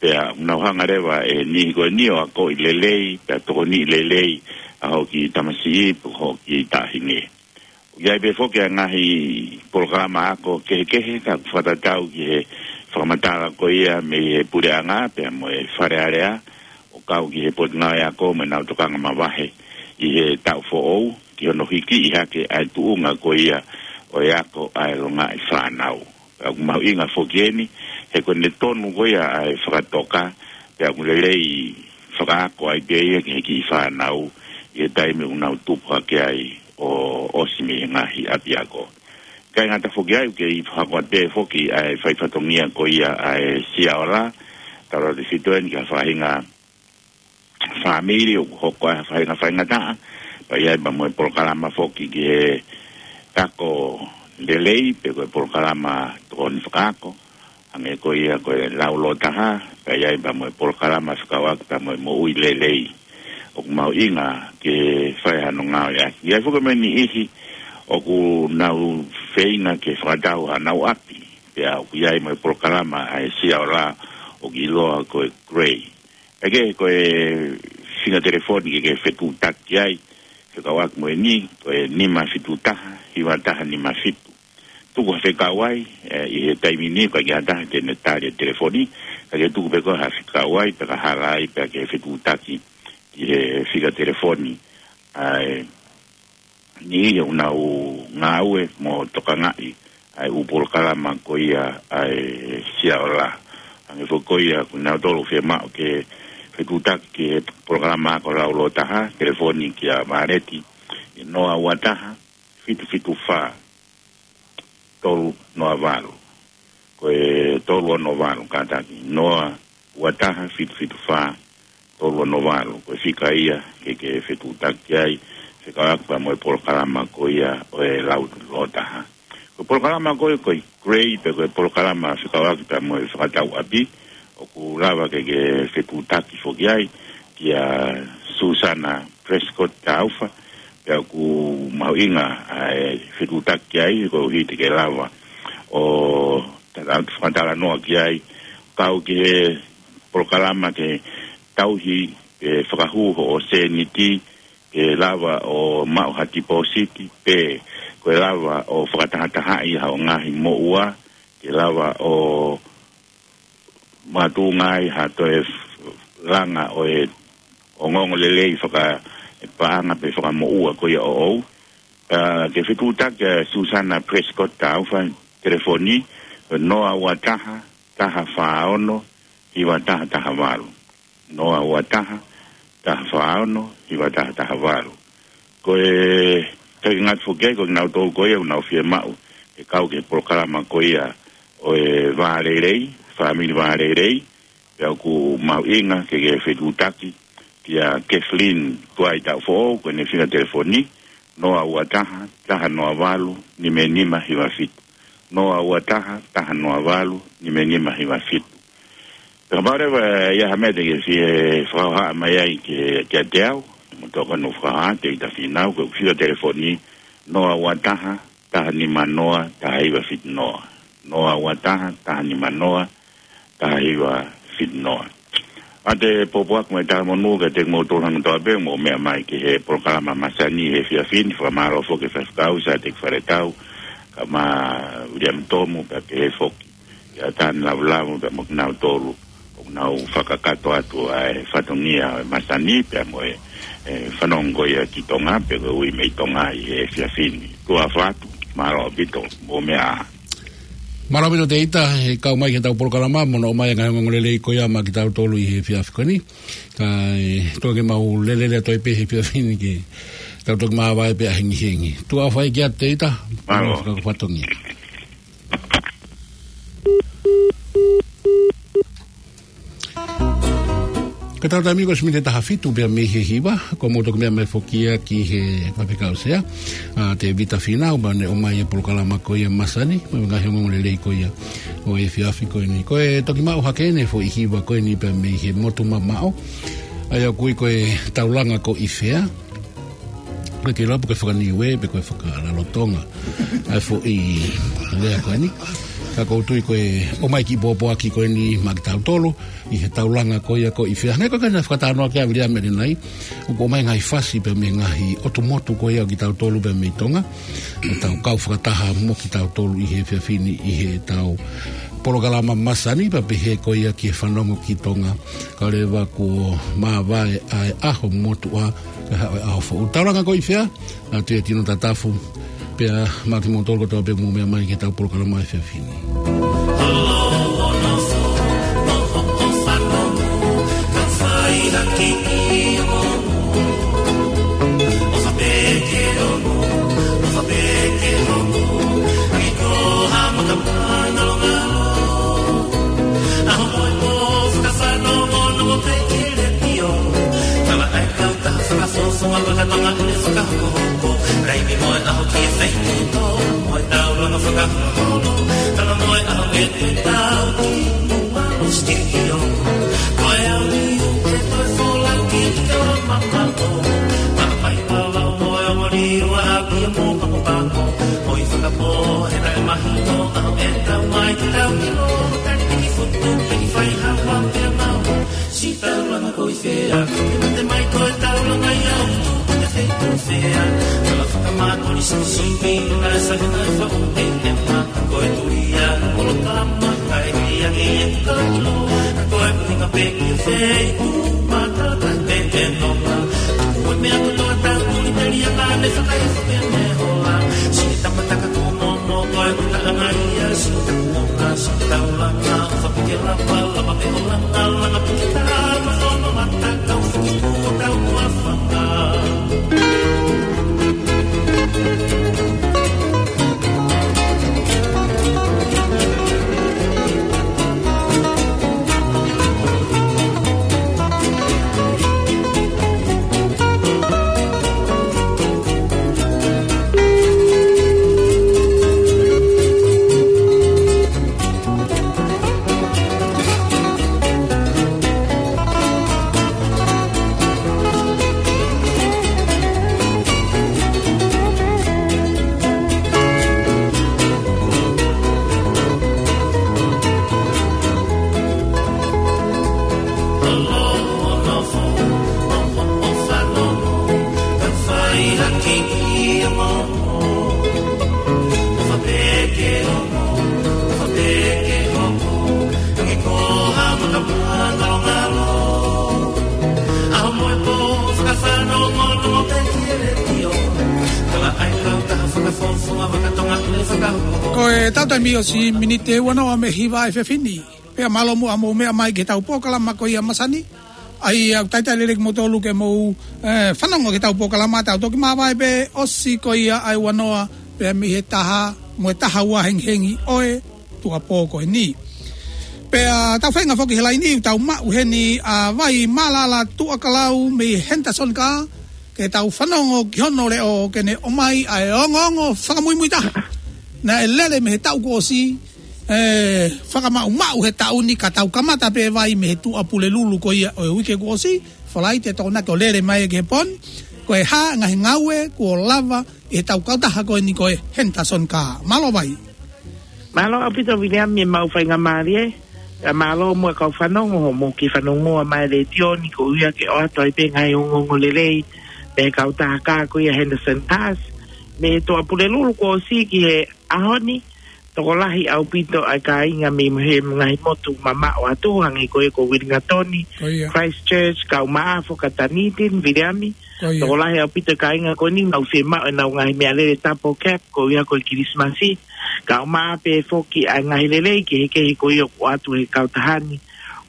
Pea ʻoku nau hanga leva ʻe he niʻihi ko eni ʻo akoʻi lelei, pea tokoniʻi lelei ʻa hoʻo kiʻi tamasiʻi pe ko hoʻo kiʻi taʻahine. ʻOku ʻi ai pē foki ʻa e ngaahi polokalama ako kehekehe, ka ʻoku fakatatau ki he fakamatala ko ia mei he puleʻanga pea mo e Fale Alea, ʻo kau ki he Potungāue Ako mo ʻenau tokanga mavahe ʻi he taʻu foʻou, ki hono hikiʻi hake ʻa e tuʻunga ko ia ʻo e ako ʻa e longaʻi fānau. Pea ʻoku mahuʻinga foki eni, he ko ʻene tonu ko ia ʻa e fakatoka, pea ʻoku lelei fakaako ai pē ia ki he kiʻi fānau, ʻi he taimi ʻoku nau tupu hake ai ʻo ʻosi mei he ngaahi ʻapiako. ʻIkai ngata foki ai, ʻoku kei fakahoko atu pē foki ʻa e fai fatongia ko ia ʻa e Sia Ola, tautautefito eni ki ha faʻahinga fāmili ʻoku hoko ai ha faʻahinga faingataʻa, pea ʻi ai pea mo e polokalama foki ki he ako lelei, pe ko e polokalama tokoni fakaako, hangē ko ia ko e lau lōtaha, pea ʻi ai pea mo e polokalama fekauʻaki pea mo e moʻui lelei. ʻOku mahuʻinga ke fai hano ngāueʻaki. ʻI ai foki mo e niʻihi ʻoku nau feinga ke fakatau hanau ʻapi, pea ʻoku ʻi ai mo e polokalama ʻa e Sia Ola ʻoku ʻiloa ko e Grey. ʻE kehe ko e fika telefoni ke ke fetuʻutaki ai, fekauʻaki mo eni, ko e nima fitu taha, hiva taha nima fitu. Tuku ha fekau ai, ʻe, ʻi he taimi ni, ʻikai ke ʻi ai ha taha te ne tali e telefoni, ka ke tuku pē ko ha fekau ai, pea ka hala ai, pea ke fetuʻutaki ki he fika telefoni. ʻA e niʻihi ʻoku nau ngāue mo tokangaʻi ʻa e ʻū polokalama ko ia ʻa e Sia Ola. Hangē foki ko ia, ko kinautolu ʻoku fiemaʻu ke fetuʻutaki ki he polokalama ako lau lōtaha, telefoni kia Vāleti, ʻi he noa ua taha, fitu fitu fā, tolu noa valu. Ko e tolu ono valu, kātaki, noa ua taha, fitu fitu fā, tolu ono valu. Ko e fika ia ke ke fetuʻutaki ai, fekauʻaki pea mo e polokalama ko ia ʻo e lau lōtaha. Ko e polokalama ko ē ko e Grey, pe ko e polokalama fekauʻaki pea mo e fakatau ʻapi, ʻoku lava ke ke fetuʻutaki foki ai kia Susana Prescott Taufa, pea ʻoku mahuʻinga ʻa e fetuʻutaki ai, koeʻuhi te ke lava ʻo tala-, fakatalanoa ki ai, kau ki he polokalama ke tauhi, ke fakahū hoʻo sēniti, ke lava ʻo maʻu ha tipōsiti, pe ko e lava ʻo fakatahatahaʻi haʻo ngaahi moʻua, ke lava ʻo makatuʻunga ai ha toe f-, langa ʻo e ongoongolelei fakapaʻanga pe fakamoʻua ko ia ʻoʻou. Pea ke fetuʻutaki ʻa Susana Prescott Taufa, telefoni, noa ua taha, taha fā ono, hiva taha taha valu. Noa ua taha, taha fā ono, hiva taha taha valu. Ko e, ʻikai ke ngata foki ai, ko kinautolu ko ia ʻoku nau fiemaʻu ke kau ki he polokalama ko ia ʻo e vālelei, fāmili vālelei, pea ʻoku mahuʻinga ke ke fetuʻutaki kia Kathleen Tuai Taʻufoʻou, ko ʻene fika telefoni, noa ua taha, taha noa valu, nima nima hiva fitu. Noa ua taha, taha noa valu, nima nima hiva fitu. Pea kapau leva ʻe ʻi ai ha meʻa te ke fie fakahohaʻa mai ai ki, kiate au, mo tokoni ʻo fakahohaʻa, Teita Fīnau, ko e fika telefoni, noa ua taha, taha nima noa, taha hiva fitu noa. Noa ua taha, taha nima noa, taha hiva fitu noa. ʻA e pōpoaki mo e talamonū kiate kimoutolu hangatonu pē ʻoku mou meʻa mai ki he polokalama masani he efiafi ni, fakamālō foki ki he faifekau, Sāteki Faletau, kae ʻumaʻā Viliami Tomu, pea pehē foki kia Tani Lavulavu, pea mo kinautolu ʻoku nau fakakakato atu ʻa e fatongia ʻo e masani, pea mo e, e, fanongo ia ki Tonga, pe ko e ui mei Tonga ʻi he efiafi ni. Tuʻa ʻofa atu, mālō ʻaupito, mou meʻa ā. Mālō ʻaupito Teita, he kau mai ki heʻetau polokalama, mo hono ʻomai e ngaahi ongoongolelei ko ia maʻa kitautolu ʻi he efiafi ko eni. Kae toki mau lele lelei atu ai pē he efiafi ni ke tau toki māvae pē ʻa hengihengi. Tuʻa ʻofa atu Teita, mālō. Mālō fakafatongia. Ko ʻetau taimi ko e miniti ʻe taha fitu pea mei he hiva, ko e mou toki meʻa mai foki ia ki he faifekau sea, ʻa Tēvita Fīnau, pea ne ʻomai e polokalama ko ia masani, mo e ngaahi ongoongolelei ko ia ʻo e efiafi ko eni. Ko e toki maʻu hake ʻene foʻi hiva ko eni pea mei he motu mamaʻo, ʻa ia ʻoku ui ko e Taulanga Koʻifea. Ko e kei lava pe ko e faka-Niue, pe ko e fakalalotonga ʻa e foʻi lea ko eni. Ka ʻoku ou tui ko e ʻomai e kiʻi pōpoaki ko eni maʻa kitautolu ʻi he Taulanga ko ia Koʻifea. Hangē ko e kau fakatalanoa kia Viliami ʻanenai, ʻoku ʻomai e ngaahi fasi pea mei he ngaahi ʻotu motu ko ia ʻo kitautolu pea mei Tonga. ʻO tau kau fakataha mo kitautolu ʻi he efiafi ni ʻi heʻetau polokalama masani pea pehē ko ia ki he fanongo ki Tonga. Kae ʻoua leva kuo māvae ʻa e ʻaho motuʻa, kae haʻu e ʻaho foʻou. Taulanga Koʻifea, ʻa Tuʻiatino Tatafu, pea maʻa kimoutolu kotoa pē ʻoku mou meʻa mai ki heʻetau polokalama he efiafi ni. Taulanga Koʻifea, ke mate mai ko e taulanga ia ʻo tuku te feitu fea. Tala fakamatoni simi simi, na sa na fa u e e ma, ko e tulia, polokalama, kae lia ke e tuka ilo. Ko e ʻuhinga pē ki he feitu, mata ta te te nonga. Ko e meʻa kotoa tau tuli te lia ka ne fakaifo ke ne hola. Sini tapa taka kuo momo, ko e kuta anga ia, sini taku moka, sini taulanga, ʻofa pike lapa, lapa pe olanga, langa pike ta, ma fono mata, kau fiki kuo tau kuo afanga. Ko e tau taimi ʻosi miniti ʻe uanoa mei he hiva ʻa e efiafi ni. Pea mālō muʻa hoʻomou meʻa mai ki heʻetau polokalama ko ia masani. ʻA ia ʻoku talitali lelei kimoutolu ke mou, eh, fanongo ki heʻetau polokalama, tau toki māvae pē ʻosi ko ia ʻa e uanoa, pea mei he taha, mo e taha ua hengihengi ʻo e tuʻuapō ko eni. Pea tau feinga foki he laini, tau maʻu heni ʻa Vai Mālala Tuʻakalau mei Henderson Car, ke tau fanongo ki hono leʻo ke ne ʻomai ʻa e ongoongo fakamuimui taha naʻe lele mei he taʻu kuo ʻosi, eh, fakamaʻumaʻu he taʻu ni ka tau kamata pē Vai mei he Tuʻapulelulu ko ia ʻo e uike kuo ʻosi, Falaite Tokonaki ʻo lele mai ki he pō ni, ko e hā e ngaahi ngāue kuo lava ʻi heʻetau kautaha ko eni ko e Henderson Car. Mālō Vai. Mālō ʻaupito Viliami, ʻemau faingamālie. Pea mālō muʻa kau fanongo hoʻomou kiʻi fanongoa mai he letiō ni koeʻuhi ke ʻoatu ai pē ngaahi ongoongo lelei mei he kautaha kā ko ia Henderson Cars. Mei he Tuʻapulelulu kuo ʻosi ki he ʻaho ni, tokolahi ʻaupito ʻa e kāinga mei he ngaahi motu mamaʻo atu, hangē ko ia ko Uelingatoni, Ko ia. Christchurch, kae ʻumaʻā foki ʻa Dunedin, Viliami. Ko ia. Tokolahi ʻaupito e kāinga ko eni ʻoku nau fiemaʻu ʻenau ngaahi meʻalele double cab, koeʻuhi ko e Kilisimasi. Kae ʻumaʻā pē foki ʻa e ngaahi lelei kehekehe ko ia ʻoku ʻoatu ʻe he kautaha ni.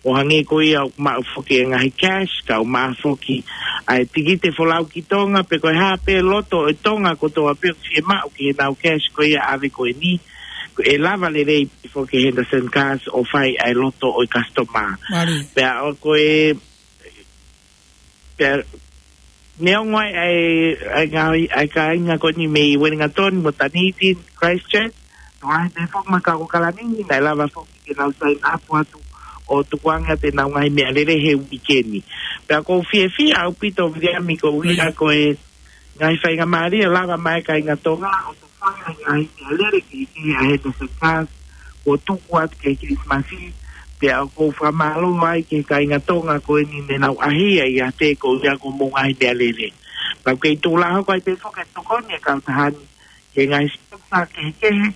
ʻO hangē ko ia ʻoku maʻu foki e ngaahi cash, kae ʻumaʻā foki ʻa e tikite folau ki Tonga, pe ko e hā pē loto ʻo e Tonga kotoa pē ʻoku fiemaʻu ki heʻenau cash ko ia ʻave ko eni. Ko e lava lelei pē foki Henderson Cars ʻo fai ʻa e loto ʻo e customer. Mālie. Pea ʻoku ko e, pea neongo ʻa e, ʻa e, ʻa e ngaahi, ʻa e kāinga ko eni mei Uelingatoni mo Dunedin, Christchurch, tokolahi pē foki mo e kau ʻAokalani ni, naʻe lava foki ke nau sign up atu ʻo tukuange atu ʻenau ngaahi meʻalele he uike ni. Pea ʻoku ou fiefia ʻaupito Viliami koeʻuhi Ko ia. ko e ngaahi faingamālie ʻoku lava mai e kāinga Tonga ʻo fai ʻa e ngaahi meʻalele kehekehe ʻa Henderson Cars kuo tuku atu ki he Kilisimasi, pea ʻoku ou fakamālō ai ki he kāinga Tonga ko eni ne nau ʻahiʻahiʻi ʻiate koeʻuhi ko hoʻomou ngaahi meʻalele. Pea ʻoku kei tuʻu lā hoko ai pē foki e tokoni ʻa e kautaha ni ki he ngaahi sponsor kehekehe,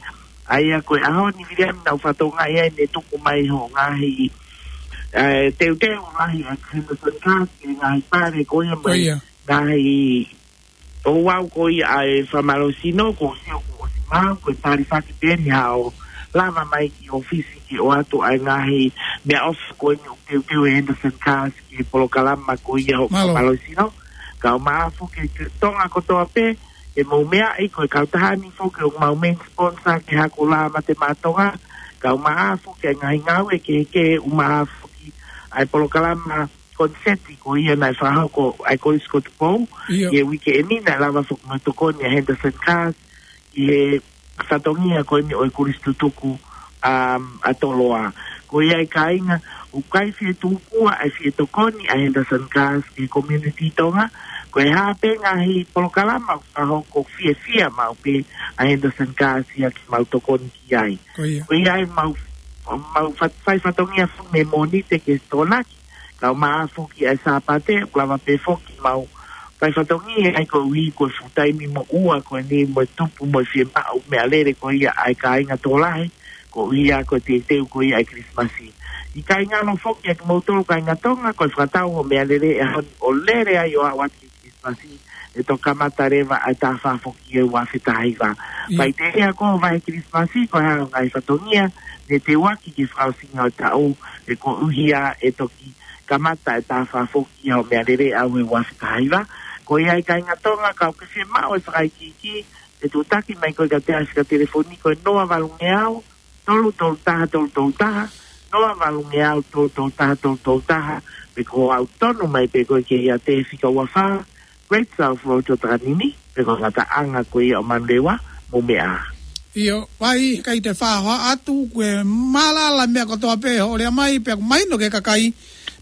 ʻa ia ko e ʻaho ni Viliami naʻa ku fakatokangaʻi ai ne tuku mai hoʻo ngaahi, eh, teuteu lahi ʻa Henderson Cars ki he ngaahi pale ko ia mo e Ko ia. ngaahi ouau ko ia ʻa e fakamālohisino, kuo u sio kuo ʻosi maʻu, ko e talifaki pē eni haʻo lava mai ki ʻōfisi ke ʻoatu ʻa e ngaahi meʻaʻofa ko eni ʻoku teuteu ʻe Henderson Cars ki he polokalama ko ia hoʻo Mālō. fakamālohisino. Kae ʻumaʻā foki ki Tonga kotoa pē, ʻoku mou meaʻi ko e kautaha ni foki ʻoku mau main sponsor ki he Hako Lā Mate Maʻa Tonga. Kae ʻumaʻā foki ʻa e ngaahi ngāue kehekehe, ʻumaʻā foki ʻa e polokalama koniseti ko ia naʻe fakahoko ʻa e Kolisi ko Tupou. ʻIo. ʻI he uike eni naʻe lava foki mo e tokoni ʻa Henderson Cars ʻi he fatongia ko eni ʻo e Kolisi Tutuku, um, ʻa Toloa. Ko ia e kāinga, ʻoku ʻikai fie tupua ʻa e fie tokoni ʻa Henderson Cars ki he community Tonga. Ko e hā pē ngaahi polokalama ʻoku fakahoko, fiefia maʻu pē ʻa Henderson Cars ia ke mau tokoni ki ai. Ko ia. Ko ia ai mau, mau fat-, fai fatongia foki mei he Mōnite ki he Tokonaki. Kae ʻumaʻā foki ʻa e Sāpate, ʻoku lava pē foki mau fai fatongia ai koeʻuhi ko e fuʻu taimi moʻua ko eni mo e tupu mo e fiemaʻu meʻalele ko ia ʻa e kāinga tokolahi, koeʻuhi ko e teuteu ko ia ʻa e Kilisimasi. ʻIkai ngalo foki ʻa kimoutolu kāinga Tonga, ko e fakatau hoʻo meʻalele he ʻaho ni ʻo lele ai ʻo aʻu atu ki he Kilisimasi, ʻe toki kamata leva ʻa e taha fā foki ʻi he ua afe taha hiva. ʻIo. Faʻiteliha ko e vahe Kilisimasi, ko e hā hoʻo ngaahi fatongia, ne teuaki ki he fakaʻosinga ʻo e taʻu, ʻe koeʻuhi ʻe toki kamata e taha fā foki ʻi hoʻo meʻalele ʻaʻau he ua afe taha hiva. Ko ia ai kāinga Tonga, kapau ʻoku ke fiemaʻu e fakaikiiki, ʻe tuʻutaki mai koe kiate au he fika telefoni ko e noa valungeau, tolu tolu taha tolu tolu taha, noa valungeau tolu tolu taha tolu tolu taha, pe ko e ʻalu tonu mai pē koe ki he ʻiate fika ua fā, Great South Road ʻo Takanini, pe ko e ngataʻanga ko ia ʻo Manurewa mo Meʻa. ʻIo, Vai, ʻikai te u fakahoa atu, ko e mālala meʻa kotoa pē hoʻo lea mai, pea ʻoku mahino ki he kakai,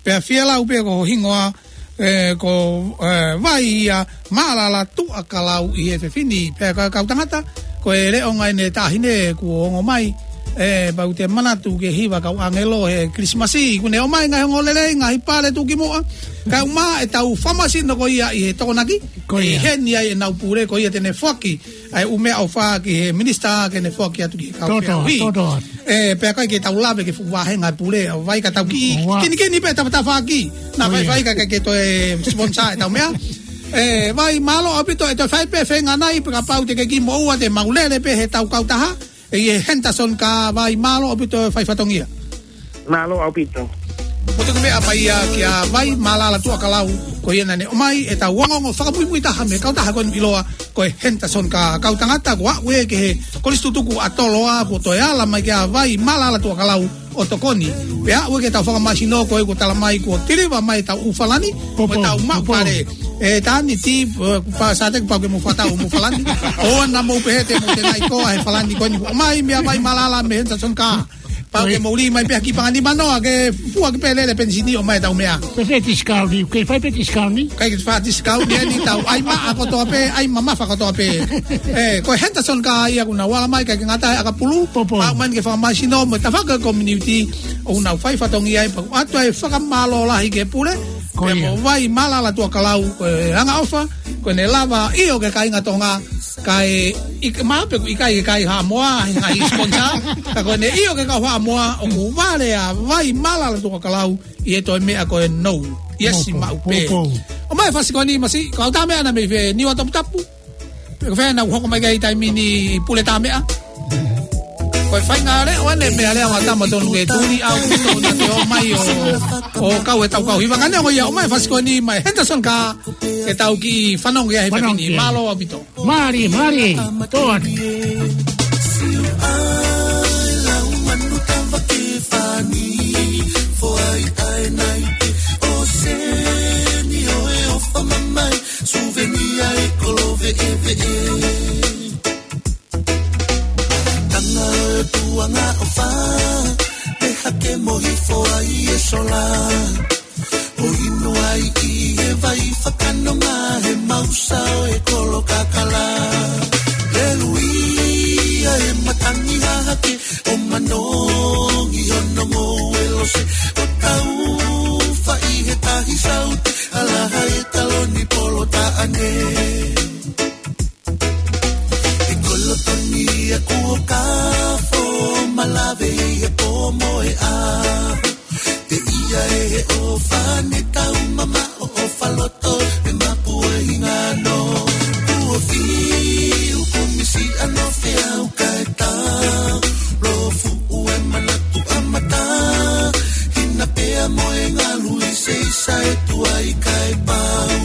pea fielau pē ko ho hingoa, ē, ko, ē, Vai ia Mālala Tuʻakalau ʻi he efiafi ni. Pea ka kau tangata, ko e leʻo ngai ne taʻahine kuo ongo mai, ē, pau te manatu ki he hiva kau ʻāngelo he Kilisimasi, kuo ne ʻomai ngaahi ongoongolelei, ngaahi pale tuʻukimuʻa, kae ʻumaʻā ʻetau fakamasino ko ia ʻi he Tokonaki, Ko ia. ʻi heni ai ʻenau pule ko ia te ne foaki ʻa e ʻū meʻaʻofa ki he minisitā ke ne foaki atu ki he kau Toto, feʻauhi. toto. Ē, pea ʻikai ke tau lave ki he fuʻu vāhenga pule ʻa Vai ka tau kiʻi Ua. kinikini pē tafatafaʻaki. Naʻa Ko ia. faifai ka ke toe sponsor ʻetau meʻa. Ē, Vai, mālō ʻaupito ʻe toe fai pē feinga nai, pea kapau te ke kiʻi moʻua te mau lele pē heʻetau kautaha. ʻI he Henderson Car Vai, mālō ʻaupito e fai fatongia. Mālō ʻaupito. Mo te meʻa mai ia kia Vai Mālala Tuʻakalau, ko ia naʻa ne ʻomai ʻetau ongoongo fakamuimui taha mei he kautaha ko eni ʻiloa ko e Henderson Car, kau tangata ko ē ʻoku ʻi he Kolisi Tutuku ʻa Toloa, kuo toe ala mai kia Vai Mālala Tuʻakalau ʻo tokoni. Pea ʻoku ʻi ai ke tau fakamāsino ko ē kuo tala mai kuo tiliva mai ʻetau ʻū falani, Popo, mo ʻetau maʻu popo. Pale. E tani ti, e, pa sa te pau ke mo fakatau mo falani. ʻOua naʻa mou pehē te mou tenai koa he falani ko eni kuo ʻomai mei a Vai Mālala mei he Henderson Car. Pau ke mou lī mai pē ha kiʻi pangani manoa ke fua ki pē lele penisini ʻo mai ʻetau meʻa. Pe fai discount ni, ke fai pē discount ni. Kai ke fai discount ni eni tau ʻai maʻa kotoa pē, ʻai mamafa kotoa pē. E, ko e Henderson Car ia ʻoku nau ala mai, ʻikai ke ngata ai ʻakapulu. Popo. Pau mai ke fakamāsino mo e tafaʻaki community ʻoku nau fai fatongia ai, pea ʻoatu ai e fakamālō lahi ki he pule. Ko ia. Pea mo Vai Mālala Tuʻakalau, ko e angaʻofa, ko ʻene lava ʻio ki he kāinga Tonga, kae ʻikai, mahalo pē ʻoku ʻikai ke kai Haʻamoa, he ngaahi sponsor, ka ko ʻene ʻio ki he kau Haʻamoa, ʻoku vale ʻa Vai Mālala Tuʻakalau ʻi he toe meʻa ko e nou. Yes, Popo, maʻu pē. Popo. ʻOmai e fasi ko eni Masi, kau tā meʻa naʻa mei fē, Niua Toputapu. Pe ko fē naʻa ku hoko mai ki ai taimi ni Pule Tāmeʻa. Ko e faʻahinga leʻo ʻeni, meʻa leʻo ʻa tama tonu ke tuli au ki tonu te ō mai ʻo, ʻo kau ʻetau kau hiva. Ka neongo ia, ʻomai e fasi ko eni mei he Henderson Car, ke tau kiʻi fanongo ki ai he Fanongo pepini. Ki ai. Mālō ʻaupito. Mālie, mālie, toa. Siu ai lau manu tava ke fani, foʻi ai nai te o seni o e ofa mamai. Suvenia e kolo veʻeveʻe. Tanga e tuanga ʻofa, pe hake mo hifo ai e sola. ʻO inu ai ʻi he vai fakanonga he mausa ʻo e kolo kakala. Leluia e matangi hahake, ʻo manongi hono ngoue lose. ʻO tau faʻi he tahi saute, ʻalaha e taloni polo taʻane. E kolo toni a kuo kafo, malave ʻi he pō mo e ʻaho. Teʻia e he ʻofa ne tau mamaʻo, ʻofa loto e mapu e hingano. Kuo fiu kumisi ano feau kae tau. Lo fuʻu e manatu ʻa mata. Hina pea mo e ngalu ʻi se isa e tuai kae pau.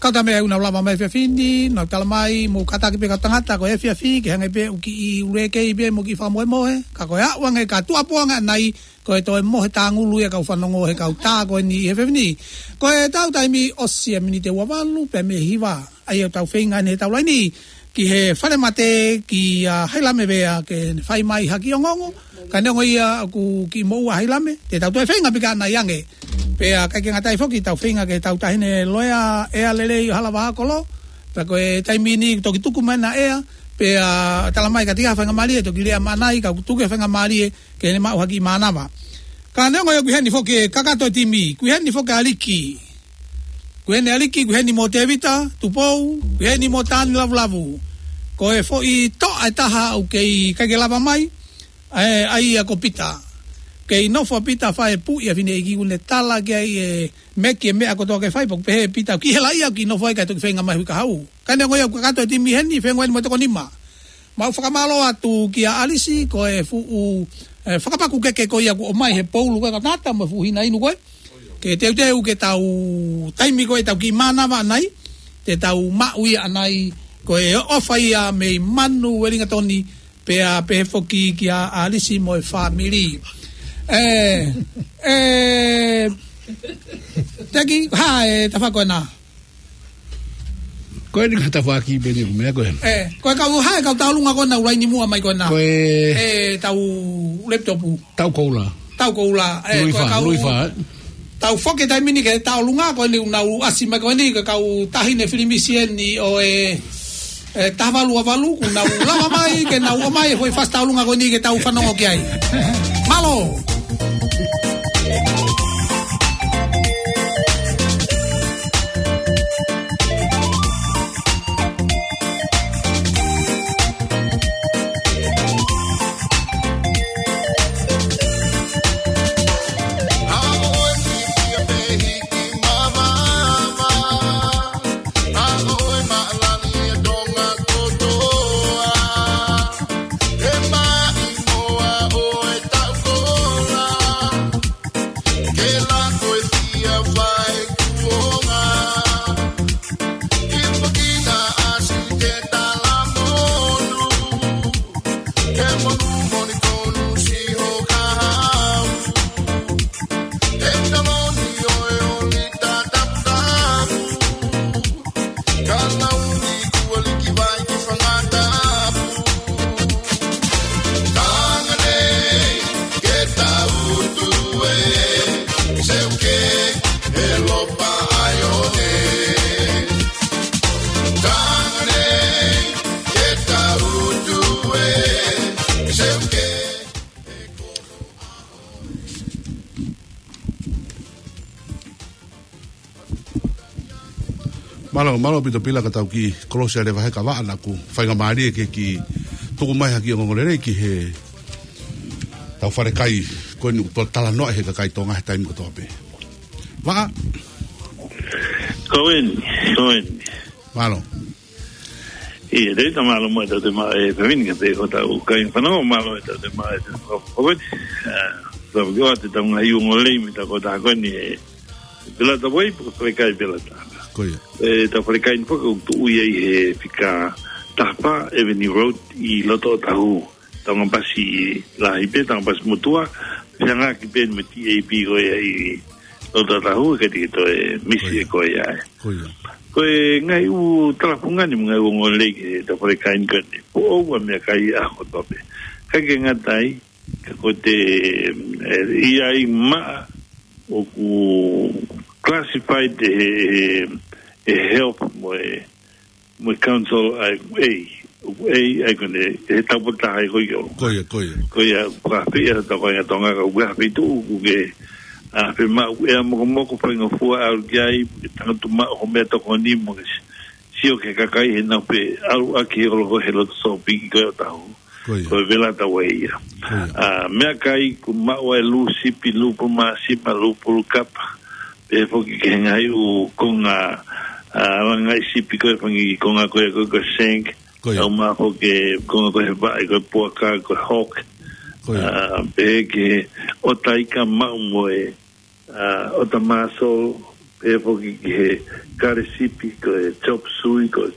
Kau tā meʻa ʻoku nau lava mai he efiafi ni, nau tala mai, mou kātaki pē kau tangata, ko e efiafi, ke hangē pē ʻoku kiʻi ule kei pē mo kiʻi fakamohemohe, ka ko e aʻu ange ka tuʻuapu ange ʻanai, ko e toe mohe tāngulu ia kau fanongo he kau tā ko eni he efiafi ni. Ko ʻetau taimi ʻosi e miniti ua valu pē mei he hiva. ʻA ia ʻoku tau feinga ʻeni he tau laini ki he falemate kia Hailame Vea ke ne fai mai ha kiʻi ongoongo. Ka neongo ia ʻoku kiʻi moʻua ʻa Hailame, te tau toe feinga pē ke ʻanai ange. Pea ʻikai ke ngata ai foki, tau feinga ki he tau taʻahine loea, ʻEa Lelei ʻo Halavā Kolo. Pea ko e taimi ni toki tuku mai ʻena ʻea, pea tala mai ka ʻi ai ha faingamālie, toki lea maʻanai, ka ʻoku tuku e faingamālie ke ne maʻu ha kiʻi mānava. Ka neongo ia ʻoku ʻi heni foki e kakato e timi, ʻoku ʻi heni foki ʻa Liki. ʻOku ʻi heni ʻa Liki, ʻoku ʻi heni mo Tēvita Tupou, ʻoku ʻi heni mo Tani Lavulavu. Ko e foʻi toʻa ʻe taha ʻoku kei ʻikai ke lava mai, ʻa e, ʻa ia ko Pita. Kei nofo ʻa Pita fai e puʻi ʻa e fineʻeiki, ʻoku ne tala ki ai e meki e meʻa kotoa ke fai, pea ʻoku pehē ʻe Pita, ʻoku ʻi hela ia ʻoku kiʻi nofo ai kae toki feinga mai hui kahaʻu. Ka neongo ia ʻoku kakato e timi heni, feinga eni mo e toko nima. Mau fakamālō atu kia ʻAlisi, ko e fuʻu, e, fakapaku keke ko ia kuo ʻomai he poulu ko ē ka tata mo e fuʻu hina inu ko ē. Ke teuteu ke tau taimi ko ē tau kiʻi mānava ʻanai, te tau maʻu ia ʻanai, ko e ʻofa ia mei Manu Uelingatoni, pea pehē foki kia ʻAlisi mo e fāmili. E, e, Teki, hā e tafaʻaki ko ena? Ko eni ka tafaʻaki pē ni ʻoku meʻa ko ē. E, ko e kau hā e kau tauʻolunga ko ena ʻoku laini muʻa mai ko ena. Ko e, e, tau laptop. Tau koula. Tau koula. E, Luifa, ko e kau Luifa, e. Tau foki taimi ni ki he tauʻolunga ko eni ʻoku nau ʻasi mai ko eni ko e kau taʻahine filimisi eni ʻo e, e, taha valu ua valu, ʻoku nau lava mai, ke nau ʻomai e foʻi fasi tauʻolunga ko eni ke tau fanongo ki ai. Mālō. Mālō, mālō ʻaupito Pila, ka tau kiʻi kolosi ʻa e leva he kaveinga naʻa ku faingamālie ke kiʻi tuku mai ha kiʻi ongoongolelei ki he tau falekai ko eni ʻoku talanoa he kakai Tonga he taimi kotoa pē. Vaʻa. Ko eni, ko eni. Mālō. ʻIo, te ta mālō mo e tau te ma e pevini ka te ko tau kai fanau mālō e tau te ma e te ko ko eni. Tau ki o te tau ngaahi ongoongolelei mei he tau ko ta ko eni e Velata Way, pe ko e falekai Velata. Ko ia. E tau falekai ni foki ʻoku tuʻu ia ʻi he fika taha fā Avenue Road ʻi loto Otahu. Tau ngaahi pasi lahi pē, tau ngaahi pasi motuʻa, fehangahangai pē mo e T A B ko ia ʻi loto Otahu, ka te ke toe misi Ko ia. e ko ia e. Ko ia. Ko e ngaahi ʻū talafungani mo e ngaahi ʻū ongoongolelei ki he tau falekai ni ko eni. Foʻou ʻa e meʻakai ʻaho kotoa pē. Ka ke ngata ai, ka ko e te, e, ʻi ai maʻa ʻoku classified he, he, he health mo e, mo e council ai, ʻoku ʻi ai, ʻoku ʻi ai ko eni, he tau pota ai ko io. Ko ia, ko ia. Ko ia, ka pē ia tau ko ia Tonga ka ʻoku ʻi ai ha feituʻu ʻoku ke, ʻa, fiemaʻu ʻea mokomoko faingofua ʻalu ki ai, ke tangata maʻu hoʻo meʻatokoni mo ke sio ki he kakai he nau pe ʻalu ʻaki he ʻoloko he loto sōpingi ko ia Otahu. Ko ia. Ko e Velata Way ia. Ko ia. ʻA, meʻakai ʻoku maʻu ai lū sipi, lū pulu māsima, lū pulu kapa. Pehē foki ki he ngaahi ʻū konga, ʻa, langai sipi ko e fanga kiʻi konga ko e ko e ko e shank. Ko ia. ʻOku maʻu foki konga ko e vaʻe ko e puaka ko e hook. Ko ia. ʻA, pehē ki he ʻota ika maʻu mo e ʻa, ʻota mussel, pehē foki ki he kale sipi, ko e chop suey, ko e,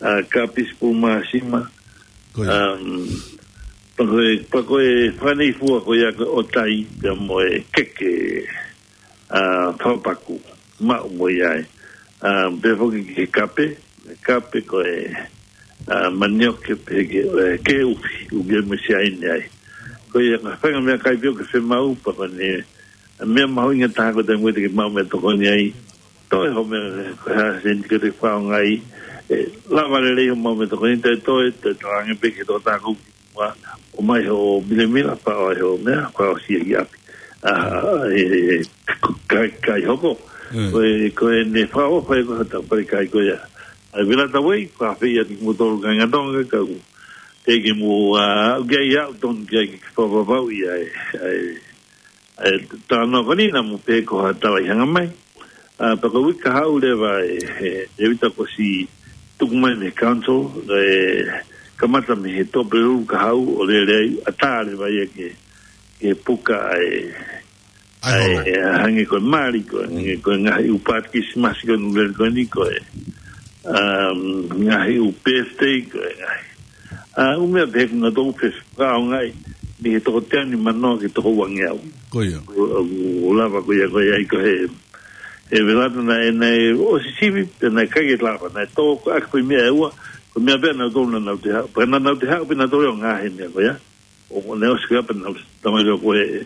ʻa, kapisi pulu māsima. Ko ia. Um, pea ko e, pea ko e fanga kiʻi fua ko ia ko e ʻotai, pea mo e keke, ʻa, fakapaku, maʻu mo ia ai. Um, pehē foki ki he kape, kape ko e, ʻa, manioke pehē ki he, ʻe, ki he ʻufi, ʻufi mo e siaine ai. Ko ia ka fanga meʻakai pē ʻoku ke fiemaʻu pea ko eni, ʻa, meʻa mahuʻinga taha ko e taimi ʻoku te ke maʻu meʻatokoni ai. Toe hoʻo meʻa, ko e hā e sēniti ʻoku te fakaʻaongaʻi, ʻe, lava lelei hoʻo maʻu meʻatokoni, toe, toe, toe talaange pē ki he tokotaha ʻoku ʻomai hoʻo milemila, fakaʻosi hoʻo meʻa, fakaʻosi ia ki ʻapi. ʻA, ʻe, ʻe, ʻe, kai, kai hoko. Mm. Ko e, ko eni fakaʻofa ʻe ko e tau falekai ko ia. ʻA e Velata Way, ko e fē ia kimoutolu kāinga Tonga, ka ʻoku teʻeki ke mou, ʻa, ʻoku ʻi ai ʻa e tonu ke fakapapauʻi ʻa e, ʻa e, ʻa e talanoa ko eni naʻa mou pehē ko ha tala ʻi hanga mai. ʻA, pea ko e uike kahaʻu leva ē, ē, ʻe vita ko si tuku mai mei he council, ē, kamata mei he Tuʻapulelulu kahaʻu ʻo lele ai, ʻatā leva ia ki he, ki he puka ʻa e, ʻAi ʻa e, holo. ʻA e, hangē ko e mali, ko e, hangē ko e ngaahi ʻū paati Kilisimasi ko eni ʻoku lele ko eni ko e, um, ngaahi ʻū birthday, ko e ngaahi. ʻA, ʻū meʻa pehē ʻoku nau toe fakaʻaongaʻi, mei he toko teau nimanoa ki he toko uangeau. Ko ia. ʻO, ʻo, ʻo lava ko ia, ko ia ʻi ko e, ʻe Velata naʻe, naʻe ʻosi sivi, pea naʻe ʻikai ke lava, naʻe tō ko ē ʻaki ko e meʻa ʻe ua, ko e meʻa pē naʻa nau tō naʻa nau toe haʻu, pea naʻa nau toe haʻu, pea naʻa nau toe ʻo ngaahi meʻa ko ia. ʻO ne ʻosi ko ia pea naʻa nau tamai leo ko e,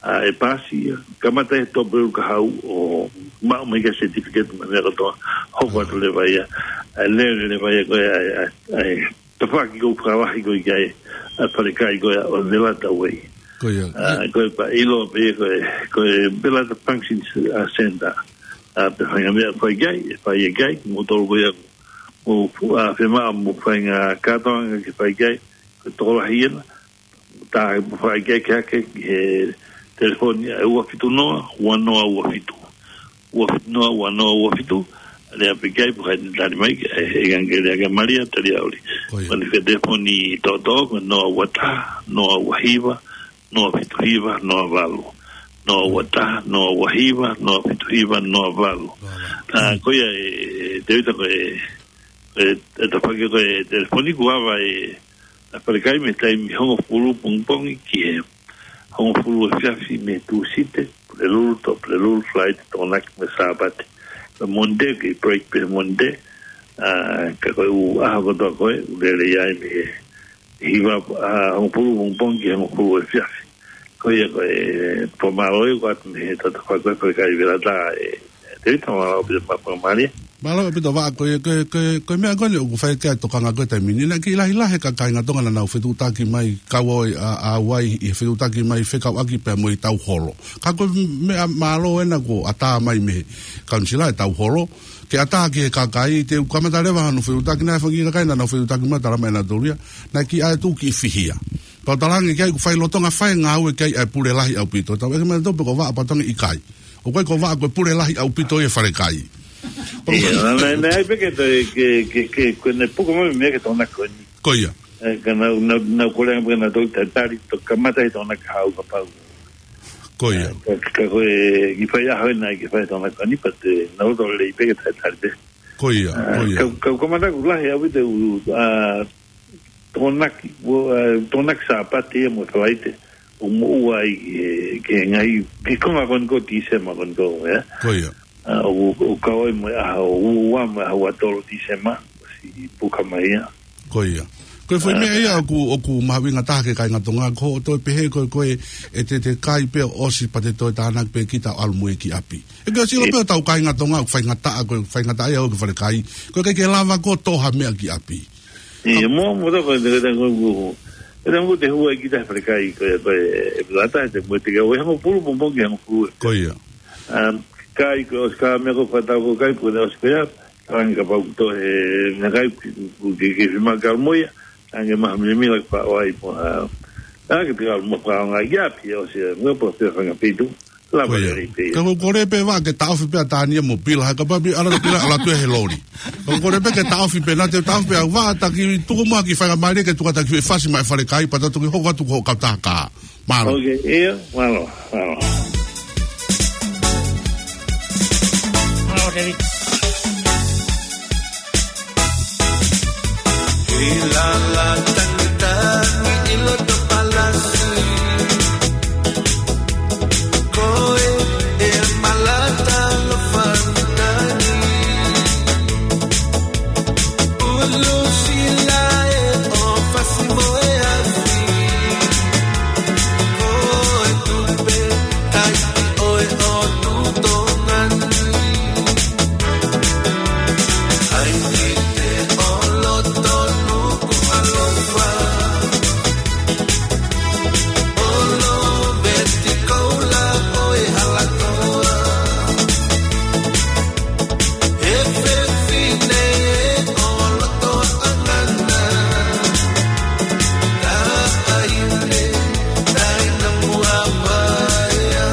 ʻa, ʻe pasi ia. Kamata he Tuʻapulelulu kahaʻu ʻo maʻu mai ki he certificate mo e meʻa kotoa. Hoko atu leva ia. ʻA, lele leva ia ko e, ʻa, ʻa, ʻa, tafaʻaki ko e fakalahi ko e ki ai, ʻa, falekai ko ia ʻo e Velata Way. Ko ia. ʻA, ko e pea ʻiloa pē ko e, ko e Velata Function, ʻa, Center. ʻA, pea fai e ngaahi meʻa fai ki ai, ʻe fai ki ai, kimoutolu ko ia, mou fu-, ʻa, fiemaʻu mou fai e ngaahi kātoanga ke fai ki ai, ko e tokolahi ena, tā mou fai ki ai ke hake, he telefoni ʻa e ua fitu noa, ua noa ua fitu. Ua fitu noa, ua noa ua fitu, lea pē ki ai, pea ʻe tali mai, ʻe, ʻe ngange lea kia Malia, Taliauli. Ko ia. Pea ko e telefoni tōtō, ko e noa ua taha, noa ua hiva, noa fitu hiva, noa valu. Noa ua taha, noa ua hiva, noa fitu hiva, noa valu. Noa valu. ʻA, ko ia ē, ʻe, Tevita ko e, ʻe, ʻe tafaʻaki ko e telefoni kuo ava ʻe, ʻa e falekai mei he taimi hongofulu pongipongi ki he hongofulu efiafi mei he Tūsite, Pulelulu, Tuʻapulelulu, Falaite, Tokonaki mo e Sāpate. Ko e Mōnite, ko e break pē Mōnite, ʻa, ka ko e ʻū ʻaho kotoa ko ē, ʻoku lele ai mei he hiva, ʻa, hongofulu pongipongi ki he hongofulu efiafi. Ko ia ko e fakamālō ʻoku ʻoatu mei he tatafa ko e falekai Velata ē, ʻe Tevita, mālō ʻaupito mo e fakamālō. Mālō ʻaupito Vaʻa, ko e, ko e, ko e, ko e meʻa ko eni ʻoku fai ki ai e tokanga ko e taimi ni, naʻe kiʻi lahilahi e kakai Tonga naʻa nau fetuʻutaki mai, kau ai ʻa, ʻa Hawaii ʻi he fetuʻutaki mai fekauʻaki pea mo e tau holo. Ka ko e meʻa mālō ena kuo ʻatā mai mei he kaunisila e tau holo, ke ʻatā ki he kakai, te u kamata leva hano fetuʻutaki, naʻe fanga kiʻi kakai naʻa nau fetuʻutaki mai, talamai ʻe nautolu ia, naʻe kiʻi ʻai atu kiʻi fihia. Pea u talaange ki ai ʻoku fai lolotonga fai e ngāue ki ai ʻa e pule lahi ʻaupito. Tau ʻeke mai nautolu pe ko Vaʻa, pea u talaange ʻikai. ʻOku ʻikai ko Vaʻa, ko e pule lahi ʻaupito ia e falekai. Ia, naʻe, naʻe, naʻe ʻai pē ke, ke, ke, ke, ko ʻene puka mai meʻa ki he Tokonaki ko eni. Ko ia. ʻE, ka nau, nau, nau kole ange pē ke nau tau tali, to kamata he Tokonaki hau kapau. Ko ia. Ka, ka ko e, kiʻi fai ʻaho ena, kiʻi fai Tokonaki ko eni, pea te nau tau lelei pē ke tau tali pē. Ko ia, ʻA, ko ia. Ka, ka, ka kamata ʻoku lahi ʻaupito, ʻa, Tokonaki, ʻo, ʻa, Tokonaki Sāpate ia mo Falaite, ʻo moʻua ai ki he, ki he ngaahi, ki he konga ko eni ko Tīsema ko eni ko, ē? Ko ia. ʻA, ʻo, ʻo kau ai mo e ʻaho ua mo e ʻaho ua tolu Tīsema, ʻosi puka mai ia. Ko ia. Ko e foʻi meʻa ia ʻoku, ʻoku mahuʻinga taha ki he kāinga Tonga, ko hoʻo toe pehē ko e, ko e, ʻe te, te kai pē ʻo ʻosi pea te toe tānaki pē kita ʻo ʻalu mo ia ki ʻapi. ʻE ke sio pē ʻetau kāinga Tonga, ʻoku faingataʻa, ko e faingataʻa ia ʻoku falekai. Ko e ʻikai ke lava ko e toʻo ha meʻa ki ʻapi. ʻIo, mo, mo tau ko e, ko e, ko e, ko e, ko e hua ʻi kita he falekai, ko e, ko e, ʻe lata, te mo te ke, ʻo e hangofulu, mo mo ki he hangofulu. Ko ia. Um, kai ko e ʻosi ka meʻa ko e fakatatau ko e kai, ko e ʻosi ko ia, talaange kapau ko e toʻo he, na kai, ku, ku, ke, ke fima ka mo ia, talaange maha milamila ka ʻoua ʻe mo, ʻa, talaange pē ka mo ka ngā ia, pea ʻosi, mo pea pea fanga peitu. Lava Ko ia. lelei pē ia. Ka ko e kole pē Vaʻa ke taʻofi pē ʻa Tania mo Pila, he kapau pē ʻalu ʻa Pila, ʻalu atu ia he loli. Ka ko e kole pē ke taʻofi pē, naʻa te taʻofi pē ʻa Vaʻa, taki tuku muʻa ki he faingamālie ke tuku atu ki he fasi mai falekai, pea tau toki hoko atu ko e kautaha. Mālō. Ok, ia, mālō, mālō. Mālō, David. ʻI lala tangitangi ʻi loto palasi. Ko e, ʻe malata lo fanitani. Ulu sila e o fasi mo e afi. Ko e tupe tai ʻo e ʻOtu Tonga ni. ʻAi ki te ʻolo tonu ku alofa. ʻOlo veti koula ʻo e halatoa. He fefine ʻolo toa ʻangana. Taʻahine, taina mua vaea.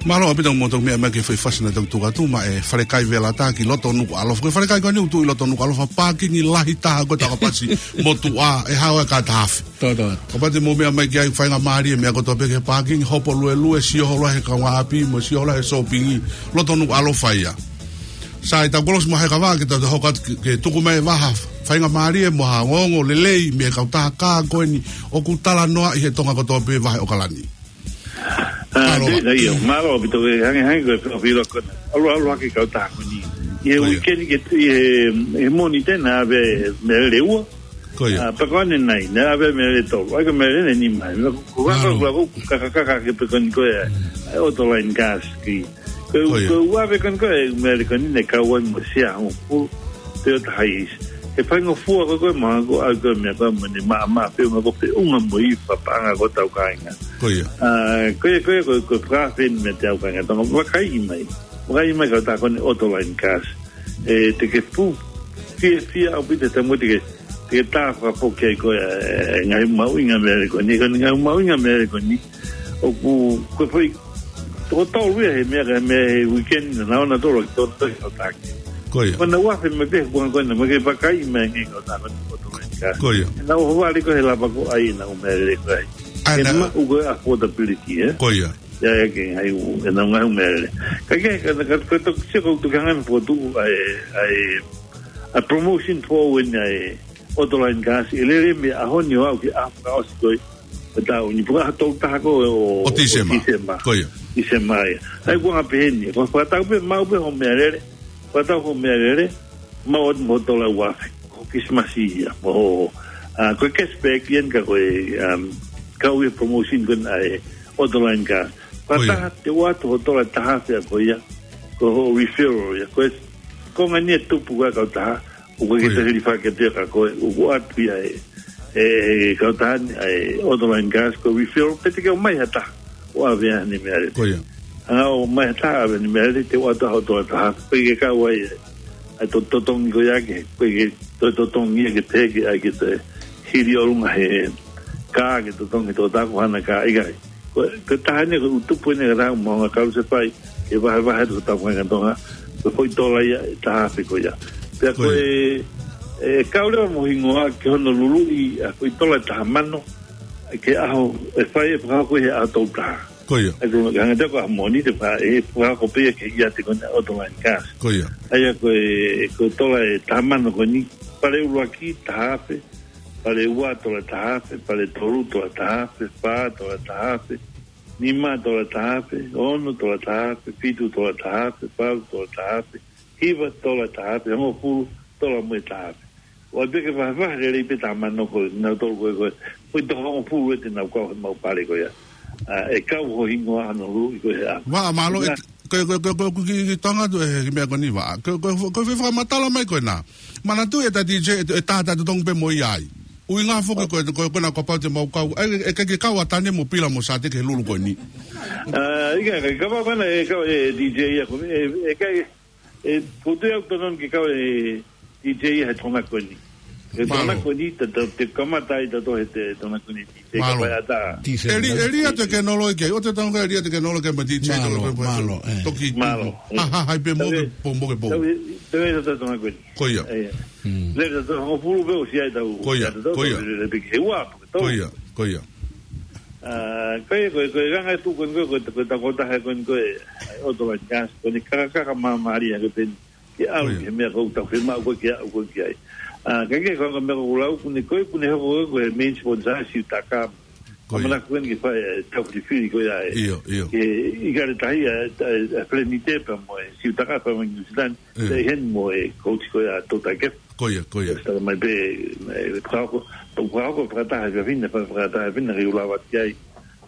Mālō ʻaupito mo tau meʻa mai ki he foʻi fasi naʻa tau tuku atu maʻa e falekai Velata ki loto Nukuʻalofa. Ko e falekai ko eni ʻoku tuʻu ʻi loto Nukuʻalofa, pākingi lahi taha ko e takapasi motuʻa ʻe hao e kātaafe. Tō, tō. Kapau te mou meʻa mai ki ai faingamālie meʻa kotoa pē ki he pākingi, hopo luelue, sio holo he kaungāʻapi, mo sio holo he sōpingi, loto Nukuʻalofa ia. Sai, tau kolosi mo e kavā ke tau hoko atu ke, ke tuku mai e vaha faingamālie mo ha ongoongo lelei mei he kautaha ko eni ʻoku talanoaʻi he Tonga kotoa pē vahe ʻOkalani. ʻA, Mālō, te, Vaʻa. Ia, mālō ʻaupito ke hangē, hangē ko e pē ʻo pilo ko ena. ʻAlu, ʻalu hake kautaha ko eni. ʻI he Ko ia. uikeni ke, ʻi he, ʻi he Mōnite naʻe ʻave mele ua. Ko ia. ʻA, pea ko ʻanenai, naʻe ʻave mele tolu. ʻAi ko e mele ʻe nima. Ko, ko, Mālō. ko, ko, ka, ka, ka, ka, ke pē ko eni ko e, ʻa e Autoline Gas ki. Ko e, Ko ia. ko e ua pē ko eni ko e mele ko eni naʻe kau ai mo e Sea hongofulu. Toyota Hiace. He faingofua ko ē ko e maha ko ē ʻa e ko e meʻa ko ē mo ʻene maʻamaʻa feʻunga ko e feʻunga mo e paʻanga ko ē ʻetau kāinga. Ko ia. ʻA, ko ia, ko ia, ko e, ko e fakaafe eni meiate au kāinga Tonga. Vakaiʻi mai. Vakaiʻi mai kautaha ko eni Autoline Gas. ʻE, te ke pu-, fiefia ʻaupito he taimi te ke, te ke tā fakafoki ai ko e, e, ngaahi mahuʻinga mele ko eni. Ko e ngaahi mahuʻinga mele ko eni. ʻOku, ko e foʻi, toko tolu ia he meʻa ka he meʻa he uikeni naʻa nau ō nautolu ki Tonga ʻo taki. Ko ia. Ko ʻena ua fe me pe kua ko ʻena, mo ke vakaiʻi mai ngaahi kautaha ko eni Autoline. gas. Ko ia. Naʻa nau ʻohovale ko ē he lava ko ē ʻenau ʻū meʻalele ko ē. ʻA ia, ʻenau ʻū ko ē affordability, ē? Ko ia. ʻA ia, ʻa ia ke ngaahi ʻū, ʻenau ngaahi ʻū meʻalele. Ka ke, ka, ka, ka, ka, sio ko ē ʻoku tuku hangē ʻoku tuʻu ʻa e, ʻa e, ʻa e promotion for when ʻa e auto line gas, ʻe lele mei he ʻaho ni ʻo aʻu ki he ʻaho fakaʻosi ko ē ʻo e taʻu ni, pea ʻaho tolu taha ko ē ʻo, ʻo Tīsema. Tīsema. Ko ia. Tīsema ia. ʻA ia ko e anga pē eni. Ko e fakatau pē, maʻu pē hoʻo meʻalele. Fakatau hoʻo meʻalele. Maʻu atu mo e tola ʻe ua afe. Ko e Kilisimasi ia. Mo hoʻo, ʻa, ko e cashback ia ka ko e, um, kau ia promotion ko ē ʻa e auto line gas. Ko ia. Fakataha te u ʻoatu hoʻo tola ʻe taha afe ko ia. Ko hoʻo referral ia. Ko e, ko e ngaahi tupu ko ē ʻa e kautaha. ʻOku ʻikai ke Ko ia. Te hili fakatea ka ko e, ʻoku ʻoatu ia ʻe, ʻe, ʻe he kautaha ni, ʻa e auto line gas ko e referral, pea te ke ʻomai ha taha ʻo ʻave haʻane meʻalele. Ko ia. Hanga ʻo ʻomai ha taha ʻave haʻane meʻalele, te u ʻoatu hoʻo tola ʻe taha afe, ʻikai ke kau ai ʻa e, ʻa e to-, totongi ko ia ke, ʻikai ke toe totongi ia ke pehē ke, ʻai ke toe hili ʻolunga he kā ke totongi he tokotaha ko haʻane kā, ʻikai. Ko, ko e taha eni, ko e ʻū tupu eni ka tau mo nga kalu se fai, ke vahevahe atu ki he tau fanga Tonga, ko e foʻi tola ia ʻe taha afe ko ia. Pea ko Ko ia. e, ʻe kau leva mo e hingoa ki hono luluʻi ʻa e foʻi tola ʻe taha mano, ki he ʻaho ʻe fai e fakahoko he ʻaho tolu taha. Ko ia. ʻA ia ko e hanga atu ko e ʻaho Mōnite pea ʻe fakahoko pē ia ki he ʻiate ko eni ʻa e auto line gas. Ko ia. ʻA ia ko e, ko e tola ʻe taha mano ko eni, pale ʻuluaki, taha afe, pale ua tola ʻe taha afe, pale tolu tola ʻe taha afe, fā tola ʻe taha afe, nima tola ʻe taha afe, ono tola ʻe taha afe, fitu tola ʻe taha afe, valu tola ʻe taha afe, hiva tola ʻe taha afe, hongofulu tola mo e taha afe. ʻOua pē ke vahevahe lelei pē taha mano ko ē, nau tolu ko ē ko ē. Ko e toko hongofulu ʻe te nau kau he maʻu pale ko ia. ʻA, ʻe kau hoʻo hingoa hono luluʻi ko ē he ʻaho. Vā, mālō, ʻe, Nā, ko, ko, ko, ko, ko, ki, ki Tonga tu ʻe, ki meʻa ko eni vā. Ko, ko, ko, ko e fakamatala mai ko ena. Manatuʻi ʻe ta D J, ʻe, ʻe taha ta totongi pē mo ia ai. ʻUhinga foki ko, ko, ko ena ko pau te mau kau. ʻE, ʻe, ʻe, ke kau ʻa Tane mo Pila mo Sate ki he lulu ko eni. ʻA, ʻikai, ʻikai, kapau ko ena ʻe kau ʻe D J ia ko, ʻe, ʻe, ʻikai, ʻe, putu ia ʻoku totonu ke kau ʻe D J ia he Tonga ko eni. He Mālō. Tonga ko eni, ta, ta, te kamata ai ta to he te Tonga ko eni D J, Mālō. Kapau ʻe ʻatā. T C M. ʻE li-, ʻe lī atu e kenoloi ki ai, ʻoua te tau ʻe lī atu e kenoloi ki ai mo e D J Mālō, tolo pe, pe, mālō, ʻē. Toki, Mālō, ʻē. Ha, ha, hai pē mo ke Tau e, po, mo ke po. tau e, tau e tata Tonga ko eni. Ko ia. ʻE, ʻē. Mm. Lele tata Tonga pulu pe ʻosi ai tau, Ko ia, tau, ko ia. tau, lele pe ki he ua, pe tau. Ko ia, ko ia. ʻA, ko e, ko e, ko e anga e tuʻu ko eni ko e, ko e, ko e takotaha ko eni ko e, ʻa e auto line gas, ko eni kakaka māmālie ʻa e peni. Ke ʻalu Ko ia. ki he meʻa ko ē ʻoku tau fiemaʻu ko ē ke aʻu ko ē ki ai. ʻA, ka ke ko e meʻa ko ē ʻoku lau, ʻoku ne ko ē, ʻoku ne hoko ko ē ko e main sponsor ʻa Siutaka. Ko ia. ʻAmanaki ko eni ke fai e tau filifili ko ia ʻe. ʻIo, ʻio. Ke ʻikai ke tahi ʻa, ʻa, ʻa Felenite pea mo e Siutaka pea mo New Zealand. ʻIo. Te heni mo e coach ko ia ʻa Tota Kefa. Ko ia, ko ia. Tala mai pē, e, fakahoko, fakahoko fakataha e fefine, fa-, fakataha e fefine, ke u lava ki ai,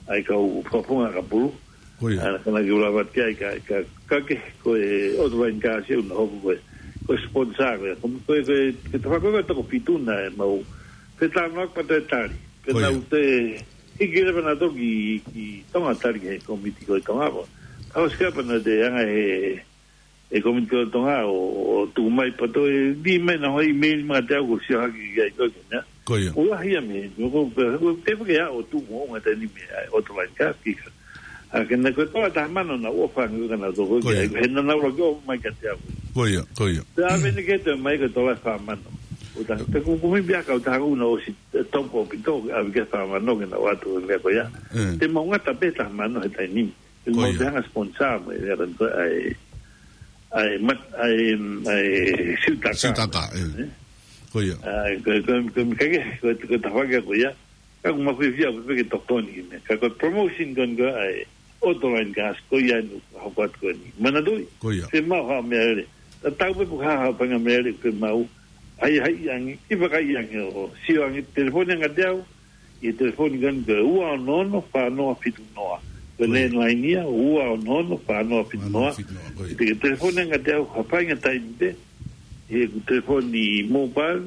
ʻa e kau fakafofonga ka pulu. Ko ia. ʻA, ka na ke u lava ki ai, ka, ka, ka ke, ko e auto line gas ia ʻoku na hoko ko e, ko e sponsor ko ia. Ko, ko e, ko e, ke tafako ko e toko fitu na ʻe mau. Pe tano ak pata e tali. Pe Ko ia. nau te, hiki leva na toki, ki Tonga tali ki he komiti ko e Tonga ko. Ka ʻosi ka pea na te anga he, e komiti ko e Tonga ʻo, ʻo tuku mai pato e, di mai na hoi email ma te au ko sio hake ki ai ko ke na. Ko ia. ʻO lahi ia me, ko, ko, ko, te ke aʻu ʻo tuku mo ʻonga tani me, ʻa e auto line gas ki ka. ʻA ke na ko e tola ʻe taha mano na ʻofa ngi ka na toko Ko ia. ki ai, he na na ula ki o mai ka te au. Ko ia, ko ia. Te ʻave ni ke te mai ko e tola ʻe fā mano. ʻO ta, te ku kumi bia ka ʻo ta haku na ʻosi, e, topo pito, ʻave ke fā mano ke na ʻoatu e meʻa ko ia. ʻE. Te mau ngata pē taha mano he taimi ni. Ko Mo ia. te hanga sponsor mo e ran ko ai, ai, mat, ai, ai, Siutaka. Siutaka, ʻē. ʻE? Ko ia. Ai, ko, ko, ko, ka ke, ko, ko tafaki ko ia. Ka ʻoku mafiefia pe ke tokoni ki me. Ka ko promotion ko eni ko ai, auto line gas ko ia nu, hoko atu ko eni. Manatuʻi. Ko ia. Fiemaʻu ha meʻalele. Ta tau pe pu ha, ha fanga meʻalele fiemaʻu. Hai, hai ange, i vakai ange ʻo, sio ange, telefoni anga te au, ʻi he telefoni ko eni ko e ua ono ono fā noa fitu noa. Ko e Ko ia. landline ia, ua ono ono fā noa fitu noa. Fā noa fitu noa, ko ia. Te ke telefoni anga te au, ha faʻahinga taimi pē, ʻi heʻeku telefoni mobile,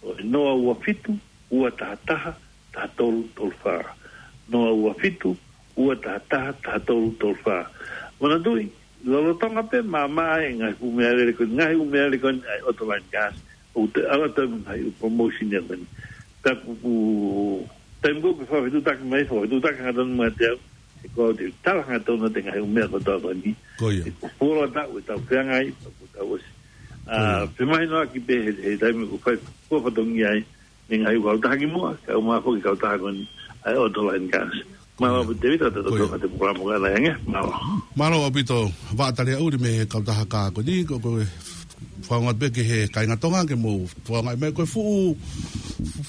ʻo e noa ua fitu, ua taha taha, taha tolu tolu fā. Noa ua fitu, ua taha taha, taha tolu tolu fā. Manatuʻi, lolotonga pē māmā e ngaahi ʻū meʻalele ko eni, ngaahi ʻū meʻalele ko eni ʻa e auto line gas, ʻoku te ala tau mo e ngaahi ʻū promotion ia ko eni. Ka ʻoku, ʻoku, taimi ko ē ke fakafetutaki mai, fakafetutaki hangatonu mo te au, he ko au te tala hangatonu atu e ngaahi ʻū meʻa kotoa ko eni. Ko ia. He ko e fuoloa taʻu ʻe tau feangai, ko tau ʻosi. ʻA, Ko ia. femahinoʻaki pē he, he taimi ʻoku fai, ko fatongia ai, mei he ngaahi kautaha kimuʻa, kae ʻumaʻā foki e kautaha ko eni ʻa e Autoline Cars. Mālō ʻaupito Tēvita, ʻa e totongi ʻa e polokalama ko ena, ʻe ange. Mālō. Mālō ʻaupito, Vaʻa Taliaʻuli mei he kautaha kā ko eni, ko, ko e fakaongo atu pē ki he kāinga Tonga ke mou fakaongo mai ko e fuʻu,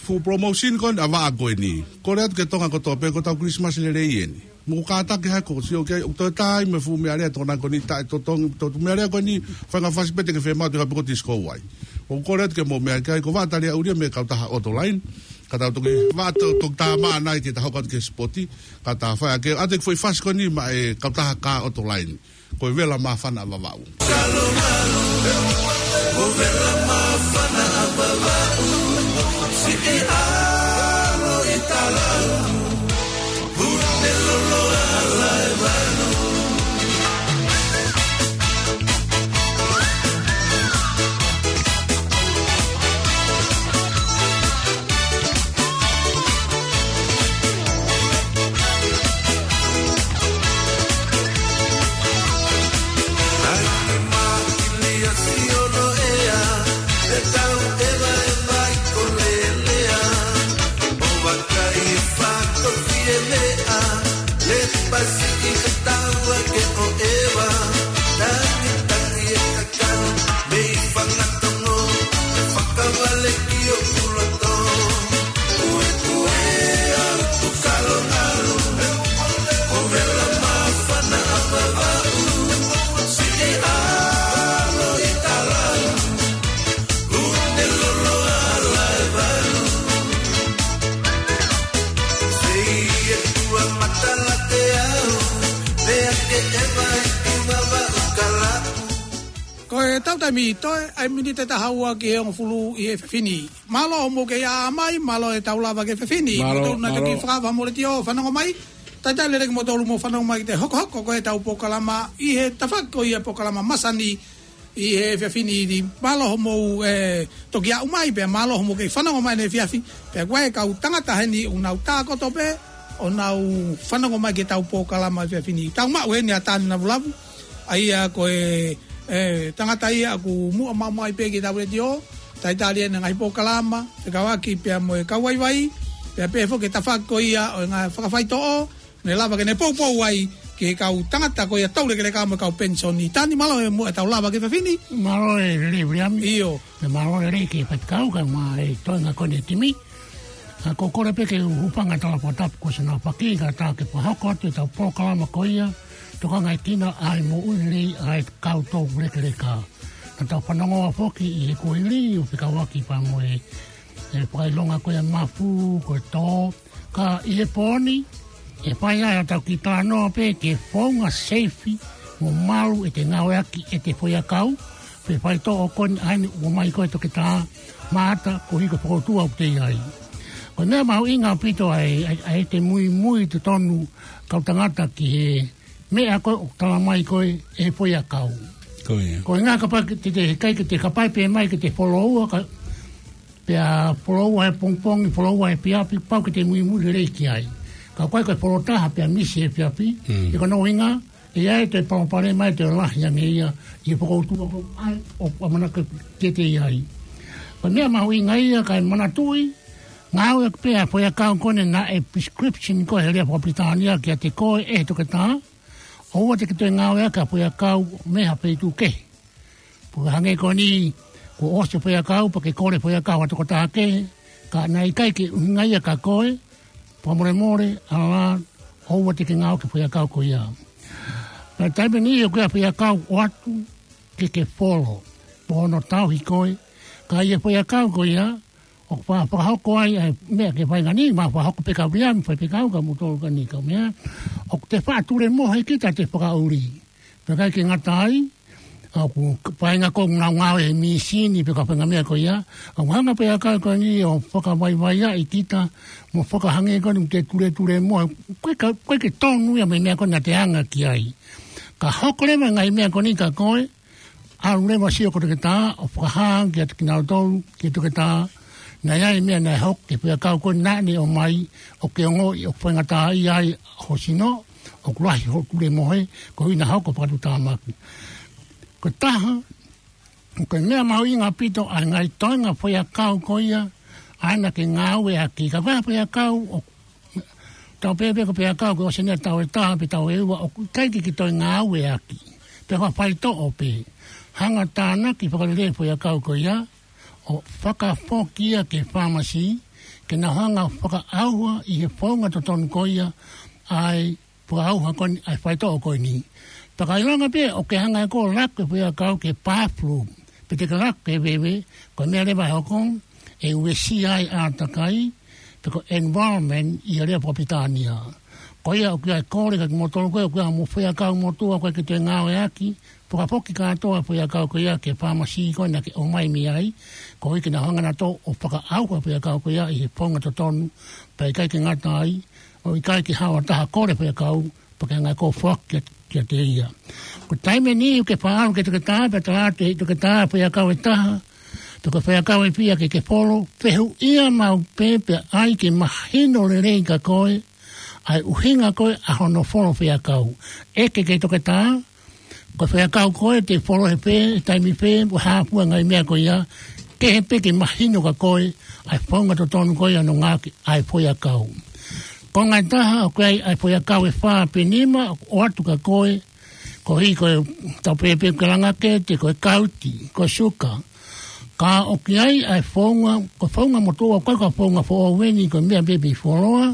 fuʻu promotion ko eni ʻa e vaʻa ko eni. Kole atu ki Tonga kotoa pē, ko ʻetau Christmas lelei eni. Mou kātaki hake ʻo sio ki ai, ʻoku toe tā ai mo e fuʻu meʻalea ʻa e tokanga ko eni, taʻetotongi, to, meʻalea ko eni, faʻahinga fasi pē te ke fiemaʻu, te ke haʻu pē ʻo disco ai. ʻOku kole atu ke mou meʻa ki ai, ko Vaʻa Taliaʻuli ia mei he kautaha Autoline. Ka tau toki, vaʻa to, toki tā maʻana ai ke ta hoko atu ki he sipoti, ka ta fai ake ʻa e foʻi fasi ko eni maʻa e kautaha kā Autoline. Ko e Vela Māfana ʻa Vavaʻu. Ko e tau taimi toe, ʻa e miniti ʻe taha ua ki he hongofulu ʻi he efiafi ni. Mālō hoʻomou kei ʻā mai, mālō e tau lava ki he efiafi ni. Mālō, mālō. Kimoutolu naʻa tau mālō. Kiʻi fakafeʻiloaki mo e tau lava ki he efiafi ni. Talitali lelei kimoutolu hoʻomou fanongo mai ki he hokohoko ko e tau polokalama ʻi he tafaʻaki ko ia polokalama masani ʻi he efiafi ni. Mālō hoʻomou, ē, toki ʻā mai pea mālō hoʻomou kei fanongo mai he efiafi. Pea ko e kau tangata heni ʻoku nau tā kotoa pē ʻo nau fanongo mai ki he tau polokalama he efiafi ni. Tau maʻu heni ʻa Tani Lavulavu. ʻA ia ko e, ē, tangata ia ʻoku muʻa maʻu mai pē ki he tau letiō, talitali ʻene ngaahi polokalama, fekauʻaki pea mo e kau vaivai, pea pehē foki ki he tafaʻaki ko ia ʻo e ngaahi fakafaitoʻo, ne lava ke ne poupou ai ki he kau tangata ko ia tau lekeleka mo e kau penisoni. Tani, mālō e muʻa e tau lava ki he efiafi ni. Mālō e lelei Viliami. ʻIo. Pea mālō e lelei ki he faifekau kae ʻumaʻā e toenga ko eni e timi. ʻA, ko e kole pē ke u hūfanga he talafakatapu kuo ʻosi nau faki, kae ʻatā ke fakahoko atu e tau polokalama ko ia, Tokangaekina ʻa e Moʻui Lelei ʻa e Kau Tau Lekeleka. Naʻa tau fanongo foki ʻi he kuohili ʻo fekauʻaki pea mo e, e fakaʻilonga ko ia e mafu, ko e tō, ka ʻi he pō ni, ʻe fai ai ʻetau kiʻi talanoa pē ki he founga seifi mo malu ʻete ngāueʻaki ʻete foʻiʻakau, pe faitoʻo ko eni ʻa eni ʻoku ʻomai ko ē ʻe Toketā Maʻata, koeʻuhi ko e fokoutua ʻoku te ʻi ai. Ko e meʻa mahuʻinga ʻaupito ʻa e, ʻa e, ʻa ʻete muimui totonu kau tangata ki he meʻa ko ē ʻoku tala mai ko ē ʻe he foʻiʻakau. Ko ia. Ko e ʻuhinga kapau ke te, te, ʻikai ke te kapai pē mai ke te foloua ka, pea foloua he pongipongi, foloua he efiafi, pau ke te muimui lelei ki ai. Ka ko e, ko e folo taha pea misi he efiafi, Mm. ʻi ko hono ʻuhinga, ʻe ʻi ai e toe palopalema, ʻe toe lahi ange ia ʻi he fokoutua ko ē ʻoku ʻamanaki ke te ʻi ai. Ko e meʻa mahuʻinga ia kae manatuʻi, ngāueʻaki pē ʻa e foʻiʻakau ko eni naʻe prescription ko ē he lea fakapilitānia kiate koe ʻe he toketā, ʻoua te ke toe ngāueʻaki ʻa e foʻiʻakau mei ha feituʻu kehe. Pea hangē ko eni, kuo ʻosi e foʻiʻakau, pea ke kole foʻiʻakau ʻa e tokotaha kehe, ka naʻe ʻikai ke ʻuhinga ia kia koe, fakamolemole, ʻalā, ʻoua te ke ngāueʻaki e foʻiʻakau ko ia. Pea taimi ʻe niʻihi ʻoku ʻi ai e foʻiʻakau ʻoatu ke ke folo, mo hono tauhi koe, ka ʻi he foʻiʻakau ko ia, ʻoku fa-, fakahoko ai ʻa e meʻa ke fai ngani, mo fakahoko pē kia Viliami, fai pē kia au, kia moutolu ko eni kau meʻa, ʻoku te faʻa tulemohe kita ʻete fakaʻuli. Pea ʻikai ke ngata ai, ʻoku faʻahinga ko ē ʻoku nau ngāue he mīsini pe ko e faʻahinga meʻa ko ia, ʻoku hanga pē ʻe he foʻiʻakau ko eni ʻo fakavaivaiʻi kita, mo fakahangē ko eni ʻoku te tuletulemohe, ʻoku ʻikai, ʻoku ʻikai ke tonu ia mei he meʻa ko ē naʻa te anga ki ai. Ka hoko leva e ngaahi meʻa ko eni kia koe, ʻalu leva ʻo sio ki he toketā, ʻo fakahā ange kiate kinautolu, ki he toketā, naʻe ʻi ai e meʻa naʻe hoko ki he foʻiʻakau ko ē naʻa ne ʻomai, ʻoku ke ongoʻi ʻoku faingataʻaʻia ai ho sino, ʻoku lahi hoʻo tulemohe, koeʻuhi naʻa hoko e fakatuʻutāmaki. Ko e taha, ko e meʻa mahuʻinga ʻaupito ʻa e ngaahi toenga foʻiʻakau ko ia, ʻAna ke ngāueʻaki, ka ko e faiakau ʻoku tau pehē pē ko e faiakau ko e ʻosi ʻene tau ʻe taha pe tau ʻe ua ʻoku ʻikai ke ke toe ngāueʻaki. Pea ko e faitoʻo pē. Hanga tānaki fakalelei e faiakau ko ia, ʻo fakafoki ia ki he fāmasi, ke nau hanga fakaʻauha ʻi he founga totonu ko ia ʻa e fakaʻauha ko eni, ʻa e faitoʻo ko eni. Pea ka ʻilonga pē ʻoku ke hanga ʻe koe ʻo laku e faiakau ki he bathroom, pe te ke laku ki he veve, ko e meʻa leva ʻe hoko, ʻe uesia ai e ʻātakai, pe ko e environment ʻi he lea fakapilitānia. Ko ia ʻoku ʻi ai e kole kia kimoutolu ko ē ʻoku ʻi ai hoʻomou faiakau motuʻa ʻoku ʻikai ke toe ngāueʻaki, fakafoki kātoa e faiakau ko ia ki he fāmasi ko ē naʻa ke ʻomai mei ai, koeʻuhi ke nau hanga nautolu ʻo fakaʻauha e faiakau ko ia ʻi he founga totonu, pea ʻikai ke ngata ai, ʻo ʻikai ke haʻu ha taha ʻo kole e faiakau, pea ke hanga ʻe koe ʻo foaki kiate ia. Ko e taimi ʻe niʻihi ʻoku ke faʻa ʻalu ki he toketā, pea tala atu ʻe he toketā e faiakau ʻe taha, pe ko e faiakau ʻe fiha ke ke folo, fehuʻia maʻu pē pea ʻai ke mahino lelei kia koe ʻa e ʻuhinga ko ē ʻa hono folo e faiakau. ʻEke ki he toketā, ko e faiakau ko ē te u folo he fē, taimi fē, ʻo hā fua e ngaahi meʻa ko ia, kehe pē ke mahino kia koe ʻa e founga totonu ko ia hono ngāueʻaki ʻa e faiakau. Konga ʻe taha, ʻoku ʻi ai ʻa e faiakau ʻe fā pe nima, ʻoatu kia koe, koeʻuhi ko e tau pehē pē ko e langakete, ko e kauti, ko e suka. Ka ʻoku ʻi ai ʻa e founga, ko e founga motuʻa, ʻoku ʻikai ko e founga foʻou eni, ko e meʻa pē mei fuoloa,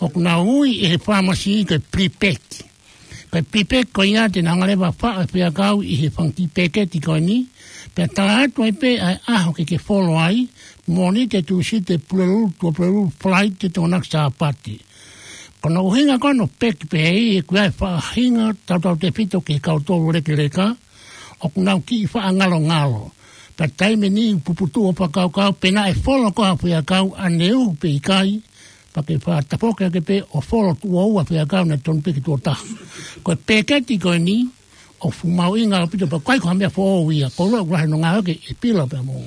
ʻoku nau ui ʻe he fāmasi ko e pre-pack. Ko e pre-pack ko ia te nau hanga leva ʻo faʻo e faiakau ʻi he fanga kiʻi peketi ko eni, pea tala atu ai pē ʻa e ʻaho ke ke folo ai, Mōnite, Tūsite, Pulelulu, Tuʻapulelulu, Falaite, Tokonaki, Sāpate. Ko hono ʻuhinga ko ē hono peki pehē ʻi he ʻoku ʻi ai e faʻahinga tautautefito ki he kau tolu lekeleka, ʻoku nau kiʻi faʻa ngalongalo. Pea taimi ʻe niʻihi ʻoku puputuʻu hoʻo fakakaukau, pe naʻe folo koā e faiakau ʻaneuhu pe ʻikai, pea ke faʻa tafoki hake pē ʻo folo tuʻo ua e faiakau naʻe tonu pē ke tuʻo taha. Ko e peketi ko eni, ʻoku fuʻu mahuʻinga ʻaupito pea ʻoku ʻikai ko ha meʻa foʻou ia, ko e ʻuluaki ʻoku lahi hono ngāueʻaki ʻe Pila pea mo,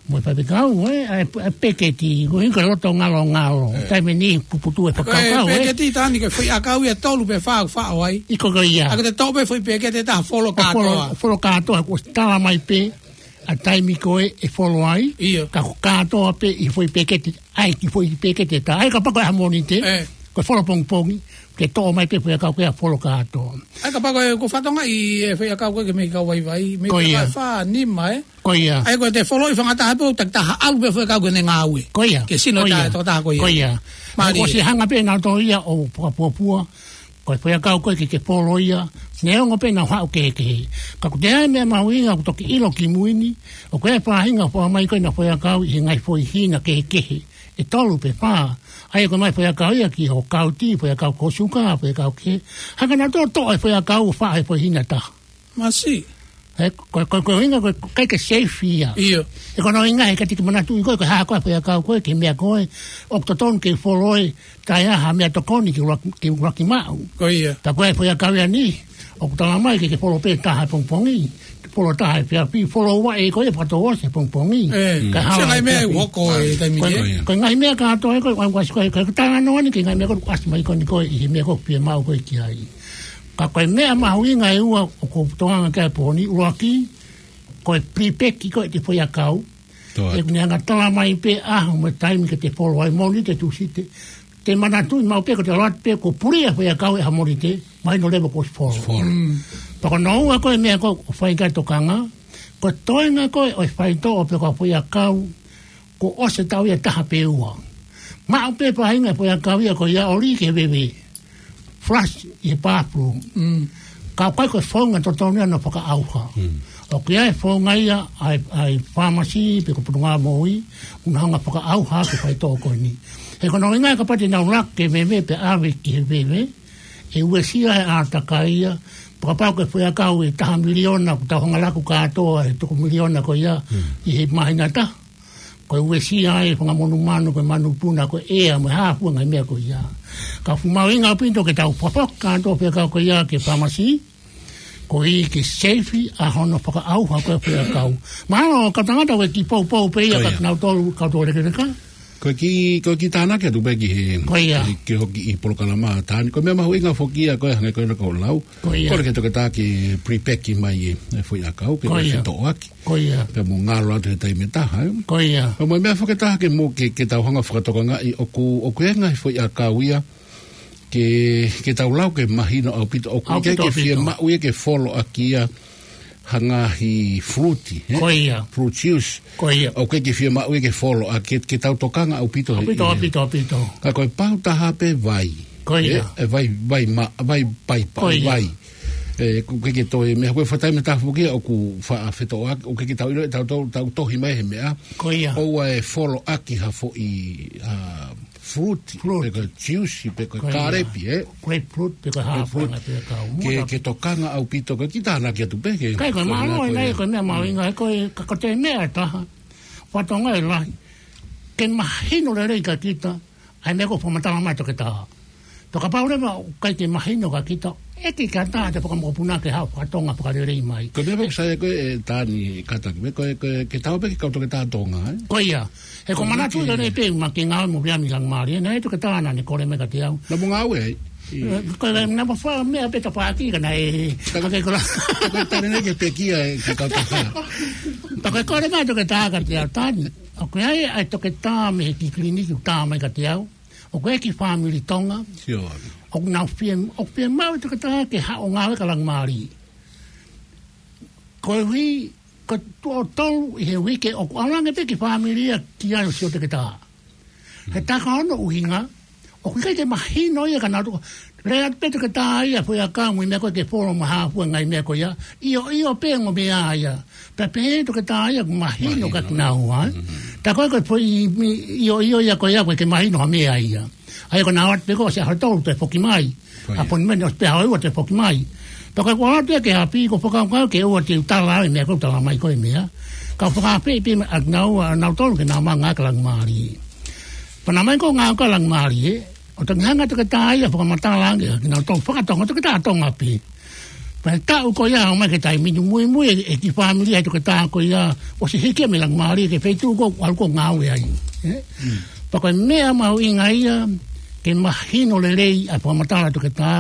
mo e faifekau, ē, ʻa e, ʻa e peketi, koeʻuhi ko e loto ngalongalo. Taimi ʻe niʻihi ʻoku puputuʻu e fakakaukau, ē. Ko e peketi, Tani, ko e faiakau ia ʻe tolu pe fā ʻoku faʻo ai. ʻIo, ko ia. ʻA ia ko e toʻo pē e foʻi peketi ʻe taha ʻo folo kātoa. Folo, folo kātoa, kuo ʻosi tala mai pē ʻa e taimi ko ē ʻe folo ai. ʻIo. Ka ko e kātoa pē ʻi he foʻi peketi, ʻai ki he foʻi peketi ʻe taha. ʻA ia kapau ko e ʻaho Mōnite, ē, ko e folo pongipongi, ke toʻo mai pē e faiakau ko ia ʻo folo kātoa. ʻA ia kapau ko e, ko e fatongia ʻi he faiakau ko ē ki he meʻi kau vaivai, meʻi, ko ia, fā, nima, ē? Ko ia. ʻA ia ko e te folo ʻi he fanga taha pē ʻo takitaha ʻalu pē e faiakau ki heʻene ngāue. Ko ia. Ki he sino, ko ia, taha, tokotaha ko ia. Ko ia. Mālie. ʻOku ʻosi hanga pē ʻe nautolu ia ʻo fakapuapua, ko e faiakau ko ē ke ke folo ia, neongo pē ʻenau haʻu kehekehe. Ka ʻoku ʻi ai e meʻa mahuʻinga ʻoku toki ʻilo kimui ni, ʻoku ʻi ai e faʻahinga ʻoku faʻa ʻomai ko ē ʻenau faiakau ʻi he ngaahi foʻi hina kehekehe, ʻe tolu pe fā. ʻA ia ko e ʻomai e faiakau ia ki hoʻo kauti, faiakau ki ho suka, faiakau kehe. Hanga nautolu ʻo toʻo e faiakau ʻo faʻo he foʻi hina ʻe taha. Masiʻi. Ē, ko, ko, ko e ʻuhinga ko e ʻikai ke safe ia. ʻIo. Ē, ko hono ʻuhinga he ʻikai te ke manatuʻi koe, ko e hā koā e faiakau ko ē, ki he meʻa ko ē ʻoku totonu ke folo ai, taʻe ʻi ai ha meʻatokoni ke ʻuluaki, ke ʻuluaki maʻu. Ko ia. Pea ko e faiakau ia ʻe niʻihi ʻoku tala mai ke, ke folo pē ʻe taha he pongipongi, folo ʻe taha he efiafi, folo ua ʻe ko ē fakatouʻosi he pongipongi. Ē, kae hala e efiafi. Sio ki he ngaahi meʻa ʻoku hoko he taimi ni, ē? Ko e, ko e ngaahi meʻa kātoa ē ko ē, ʻoku ʻasi ko ē, ko e talanoa ni ki he ngaahi meʻa ko ē ʻoku ʻasi mai ko eni ko ē ʻi he meʻa ko ē ʻoku fiemaʻu ko ē ki ai. Ka ko e meʻa mahuʻinga ʻe ua ʻoku ou tokanga ki ai he pō ni, ʻuluaki, ko e pre-pack ko ē ʻete faiakau. Toe atu. ʻOku ne hanga ʻo tala mai pē e ʻaho mo e taimi ke te folo ai, Mōnite, Tūsite. Te manatuʻi maʻu pē ko ʻete ʻalu atu pē kuo puli e faiakau he ʻaho Mōnite, mahino leva kuo ʻosi folo. Folo. Mm. Pea ko hono ua ko ē e meʻa ko ē ʻoku fai ki ai e tokanga, ko e toenga ko ē ʻo e faitoʻo pe ko e faiakau, kuo ʻosi e taʻu ia ʻe taha pe ua. Maʻu pē e faʻahinga e faiakau ia ko ia ʻo lī ki he veve. Flush ʻi he bathroom. Mm. Ka ʻoku ʻikai ko e founga totonu ia hono fakaʻauha. Mm. ʻOku ʻi ai e founga ia ʻa e, ʻa e fāmasi pe ko e Potungāue Moʻui, ʻoku nau hanga ʻo fakaʻauha ʻaki e faitoʻo ko eni. He ko hono ʻuhinga ia kapau te nau laku ki he veve pea ʻave ki he veve, ʻe uesia e ʻātakai ia, pea kapau ko e faiakau ʻe taha miliona, kuo tau hanga ʻo laku kātoa e toko miliona ko ia, mm, ʻi he māhina ʻe taha. Ko e uesia e fanga monumanu, ko e manupuna, ko e ʻea, mo e hā fua e ngaahi meʻa ko ia. Ka ʻoku fuʻu mahuʻinga ʻaupito ke tau fakafoki kātoa e faiakau ko ia ki he fāmasi, koeʻuhi ke safe ʻa hono fakaʻauha ko ē e faiakau. Mahalo ko e tangata ʻoku kiʻi poupou pē ia, ko ia, kia kinautolu kau tō lekeleka. Ko e kiʻi, ko e kiʻi tānaki atu pē ki he, Ko ia. ki he, ki hoʻo kiʻi polokalama, Tani. Ko e meʻa mahuʻinga foki ia ko e hangē ko ena kuo u lau. Ko ia. Kole ki he toketā ke pre-pack mai e, e foʻi ʻakau, ke Ko ia. fetoʻoaki. Ko ia. Pea mo ngalo atu he taimi ʻe taha, ē. Ko ia. Pea mo e meʻa foki ʻe taha ke mo, ke, ke tau hanga fakatokangaʻi ʻoku, ʻoku ʻi ai e ngaahi foʻi ʻakau ia, ke, ke tau lau ke mahino ʻaupito, ʻoku ʻikai ʻAupito, ke ʻaupito. fiemaʻu ia ke folo ʻaki ia ha ngaahi fruit, ē? Ko ia. Fruit juice. Ko ia. ʻOku ʻikai ke fiemaʻu ia ke folo ʻaki, ke, ke tau tokanga ʻaupito he ʻAupito, ʻi he. ʻaupito, ʻaupito. Ka ko e pau taha pē vai. Ko ia. Ē, e vai, vai ma-, vai paipa, Ko ia. vai. Ē, ʻoku ʻikai ke toe meʻa, ko e fakatātā meʻa taha foki ia ʻoku faʻa fetoʻoaki, ʻoku ʻikai ke tau ʻilo, tau, tau, tau tohi mai he meʻa. Ko ia. ʻOua ʻe folo ʻaki ha foʻi, ā, fruit, Fruit. pe ko e juice, pe ko e Ko ia. kālepi, ē? Grapefruit, pe ko e hā Grapefruit. fanga pe kau. Ke, Muta. ke tokanga ʻaupito, ko e kiʻi tānaki atu pē, ke Kai ko e ko e mālō meʻa ko ē, ia. ko e meʻa mahuʻinga, ko e, ka ko e meʻa ʻe taha. Fakatonga e lahi. Ke mahino lelei kia kita, ʻa e meʻa ko e fakamatala mai toketā. Pea kapau leva ʻoku ʻikai ke mahino kia kita, ʻe ʻikai ke ʻatā ʻete fakamokopuna ke haʻu ʻo fakatonga fakalelei mai. Ko e meʻa pē ʻoku sai ko ē, ē, Tani, kātaki, meʻa ko e, ko e, ke tau pē ki he kau toketā Tonga, ē? Ko ia. He ko Ko e manatu meʻa ia ke ne pē ma ke ngāue mo Viami Langimālie, naʻe toketā naʻa ne kole mai kiate au. Naʻa mo ngāue ai? ʻIo. Ē, ko e naʻa mo fai meʻa pē tapaʻaki ka naʻe, Ka- ka ke kola. Ka ko e tane nei ke pekia e ki kau toketā. Ka ko e kole mai toketā kiate au, Tani. ʻOku ʻi ai, ʻa e toketā mei he kiʻi kiliniki ʻoku tā mai kiate au. ʻOku ʻi ai e kiʻi fāmili Tonga. Sio. ʻOku nau fie, ʻoku fiemaʻu e toketā ke haʻu ʻo ngāue kia Langimālie. Koeʻuhi, ko e tuʻo tolu ʻi he uike ʻoku ʻalu ange pē e kiʻi fāmili ia ki ai ʻo sio toketā. He taha ono ʻuhinga, ʻoku ʻikai ke mahino ia kia nautolu. Lea atu pē toketā ia, foʻi ʻakau mo e meʻa ko ē ke folo mo e hā fua e ngaahi meʻa ko ia. ʻIo, ʻio pē ongo meʻa ia. Pea pehē toketā ia, mahino Mahino. kia kinaua, ē. Mm. Tā ko ē ko e foʻi mi-, ʻio, ʻio ia ko ia, ʻoku ʻikai ke mahino ha meʻa ia. ʻA ia ko ʻenau ō atu pē ko ē ʻosi ʻaho tolu toe foki mai. Ko ia. ʻAponimeni ʻosi pē ʻaho ua toe foki mai. Pea ko e ʻoatu ia ki he ʻapi, ʻoku ou fakakaukau ke ʻoua te u tala e meʻa ko ē ʻoku tala mai ko e meʻa. Ka u fakaafeʻi pē ʻa kinaua, ʻa nautolu ke nau ō mai ʻo ngāue kia Langimālie. Pea naʻa mau ō ʻo ngāue kia Langimālie, ʻo toki hanga ʻe he toketā ia ʻo fakamatala ange kia kinautolu fakatonga, toketā Tonga pē. Pea taʻu ko ia ʻomai ki he taimi ni muimui e, e kiʻi fāmili ʻa e toketā ko ia, ʻosi hiki ia mei Langimālie ki he feituʻu ko ē ʻoku ʻalu ʻo ngāue ai. Ē? Mm. Pea ko e meʻa mahuʻinga ia, ke mahino lelei ʻa e fakamatala ʻa e toketā,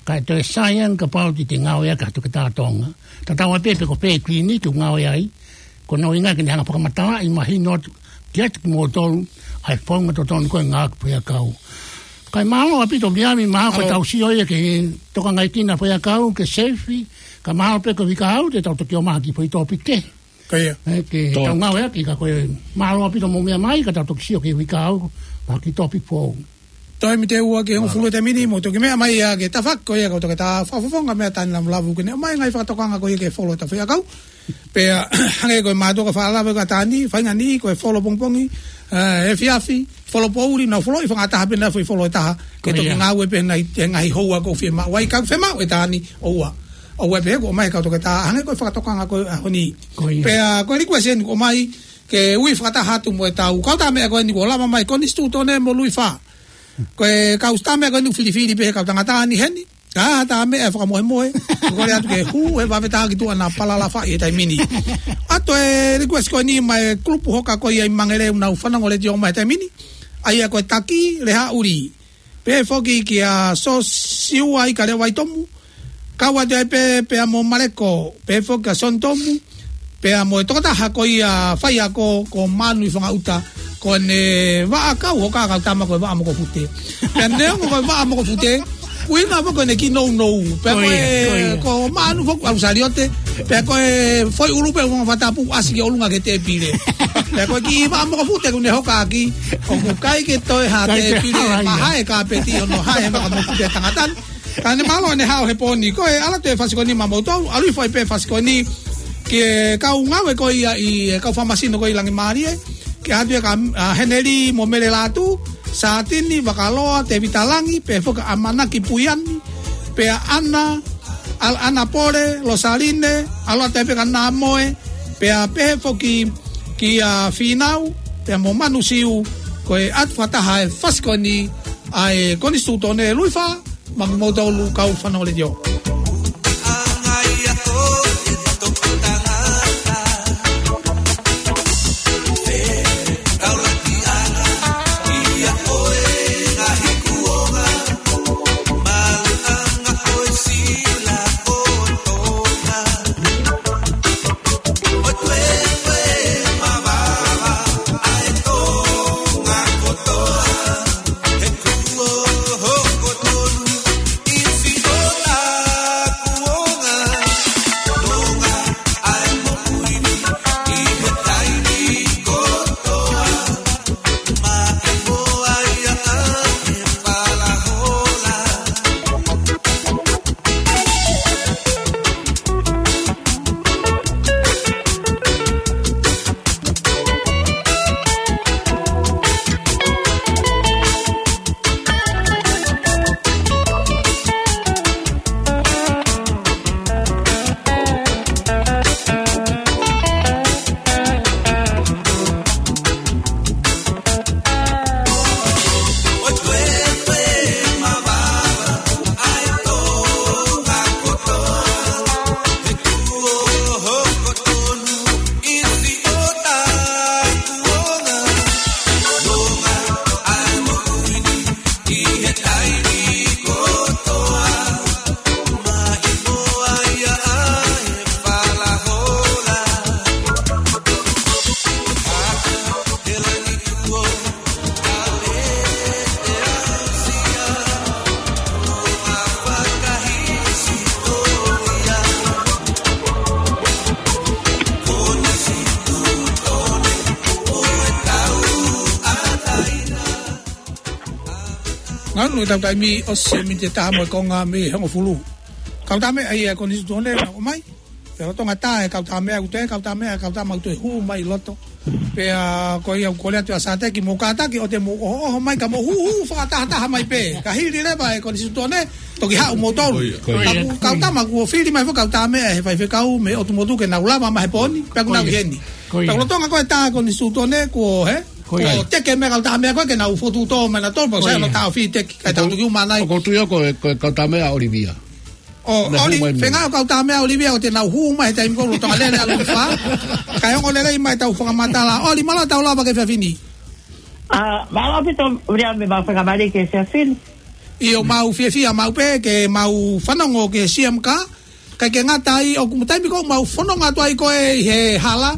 kae toe sai ange kapau te te ngāue ʻaki ha toketā Tonga. Tatau ai pē pe ko fē kiliniki ʻoku ngāue ai, ko hono ʻuhinga ke ne hanga ʻo fakamatalaʻi mahino atu kiate kimoutolu ʻa e founga totonu ko ē ʻo e ngāue ki he foʻi ʻakau. Kae mālō ʻaupito Viami, mahalo ko ʻetau sio ia ke tokangaʻi kinaua e foʻi ʻakau, ke seifi, ka mahalo pē ko e uike ʻaho ni te tau toki ō mai ki he foʻi tōpiki kehe. Ko ia. Ē, ke Tō. tau ngāueʻaki, ka ko e mālō ʻaupito hoʻomou meʻa mai, ka tau toki sio ki he uike ʻaho ni, ha kiʻi tōpiki foʻou. Toe mite ua ki he hongofulu e taimi ni, mou toki meʻa mai ia ki he tafaʻaki ko ia ʻa e kau toketā, fakafofonga mai ʻa Tani Lamulavu ke ne ʻomai e ngaahi fakatokanga ko ia ki he folo ʻetau foʻi ʻakau. Pea, hangē ko e mātuʻa ka fakalava kia Tani, faʻahinga ni, ko e folo pongipongi, ē, efiafi, folo poʻuli, nau foloʻi fakataha pē ʻenau foʻi folo ʻe taha, ke Ko ia. toki ngāue pē ʻenau, ʻenau ngaahi houa ʻoku fiemaʻu ai, ka ʻoku fiemaʻu ʻe Tani, ʻoua. ʻOua pē kuo ʻomai e kau toketā, hangē ko e fakatokanga ko ē ʻaho ni. Ko ia. Pea, ko e request eni kuo ʻomai, ke ui fakataha atu mo ʻetau kau tamaiki ko eni kuo lava mai, Konisitūtone mo Luifā. Ko e kau tamaiki ko eni filifili pē he kau tangata ni heni. Ka ha tamaiki ʻe fakamohemohe. Kole atu ke hū he vave taha ki tuʻa naʻa palalafa ʻi he taimi ni. ʻA e toe request ko eni maʻa e kulupu hoka ko ia ʻi Mangere ʻoku nau fanongo letiō mai he taimi ni. ʻA ia ko e Taki Lehaʻuli. Pehē foki kia Sosiua ʻIkaleʻi Vaitomu. Kau atu ai pē, pea mo Maleko, pehē foki kia Soni Tomu, pea mo e tokotaha ko ia faiako ko Manu ʻi Fangaʻuta, ko ʻene vaʻa kau hoka kau tama ko e vaʻa mokopute. Pea neongo ko e vaʻa mokopute, ʻuhinga foki ko ʻene kiʻi nounou. Pea Ko ko ia, e, ko ia. ko Manu foki ʻalu saliote, pea ko e foʻi ʻulu pē ʻoku fakatapu ʻasi ki ʻolunga ki he tēpile. Pea ko e kiʻi vaʻa mokopute ʻoku ne hokaʻaki, ʻoku ʻikai ke toe ha Kai ke tēpile, hala ia. mahae kāpeti ʻo ne hae he vaʻa mokopute tangata ni. Ka ne mālō ʻene haʻu he pō ni. Ko e ʻalu atu e fasi ko eni maʻamoutolu, ʻalu hifo ai pē fasi ko eni ki he kau ngāue ko ia ʻi he kau fakamasino ko ia ʻi Langimālie. Ke ʻalu atu ia kia, ā, Heneli mo Mele Lātū, Sātini Vakaloa, Tēvita Langi, pehē foki kia ʻAmanaki Puiani, pea ʻAna, ʻAl-, ʻAna Pole, Losaline, ʻalu atu ai pē kia Namoe, pea pehē foki kia Fīnau, pea mo Manu Siu, ko e ʻatu fakataha e fasi ko eni ʻa e Konisitūtone Luifā, maʻa kimoutolu kau fanongo letiō. Ko e tau taimi ʻosi e miniti ʻe taha mo e konga mei he hongofulu. Kautaha meʻa ia e konisitūtone naʻe ʻomai. Pea lolotonga tā e kautaha meʻa ʻoku toe, kautaha meʻa, kautaha mau toe hū mai loto. Pea ko ia ʻoku kole atu ʻa Sateki mo kātaki ʻo te mo ʻohoʻoho mai ka mo hūhū fakatahataha mai pē. Ka hili leva e konisitūtone, toki haʻu mo tolu. Ko ia. Ka mo kautaha mau kuo fili mai fo kautaha meʻa he faifekau mei ʻOtu Motu ke nau lava mai he pō ni. Pea ʻoku nau ʻi heni. Ko ia. Pea lolotonga ko e tā konisitūtone kuo he. Ko ia. Ko teke meʻa kautaha meʻa ko e ke nau fotu tō mai na tolu, pea ko sai ia. No tā o fiteki, kai tau tuki uma nai. ʻOku ou tui au ko e, ko e kautaha meʻa ʻa ʻOlivia. ʻO, ʻOli, fenga o kautaha meʻa ʻa ʻOlivia ʻo te nau hū mai he taimi ko lolotonga lele ʻalu ki fā. Kai ongo lelei mai tau fakamatala. ʻOli, mālō tau lava ki he efiafi ni. ʻA, mālō ʻaupito, Viliami, mau fakamālō ki he efiafi ni. ʻIo, mau fiefia maʻu pē ke mau fanongo ki he C M K. Kae ke ngata ai, ʻoku mo taimi ko ē mau fononga atu ai ko ē ʻi he hala.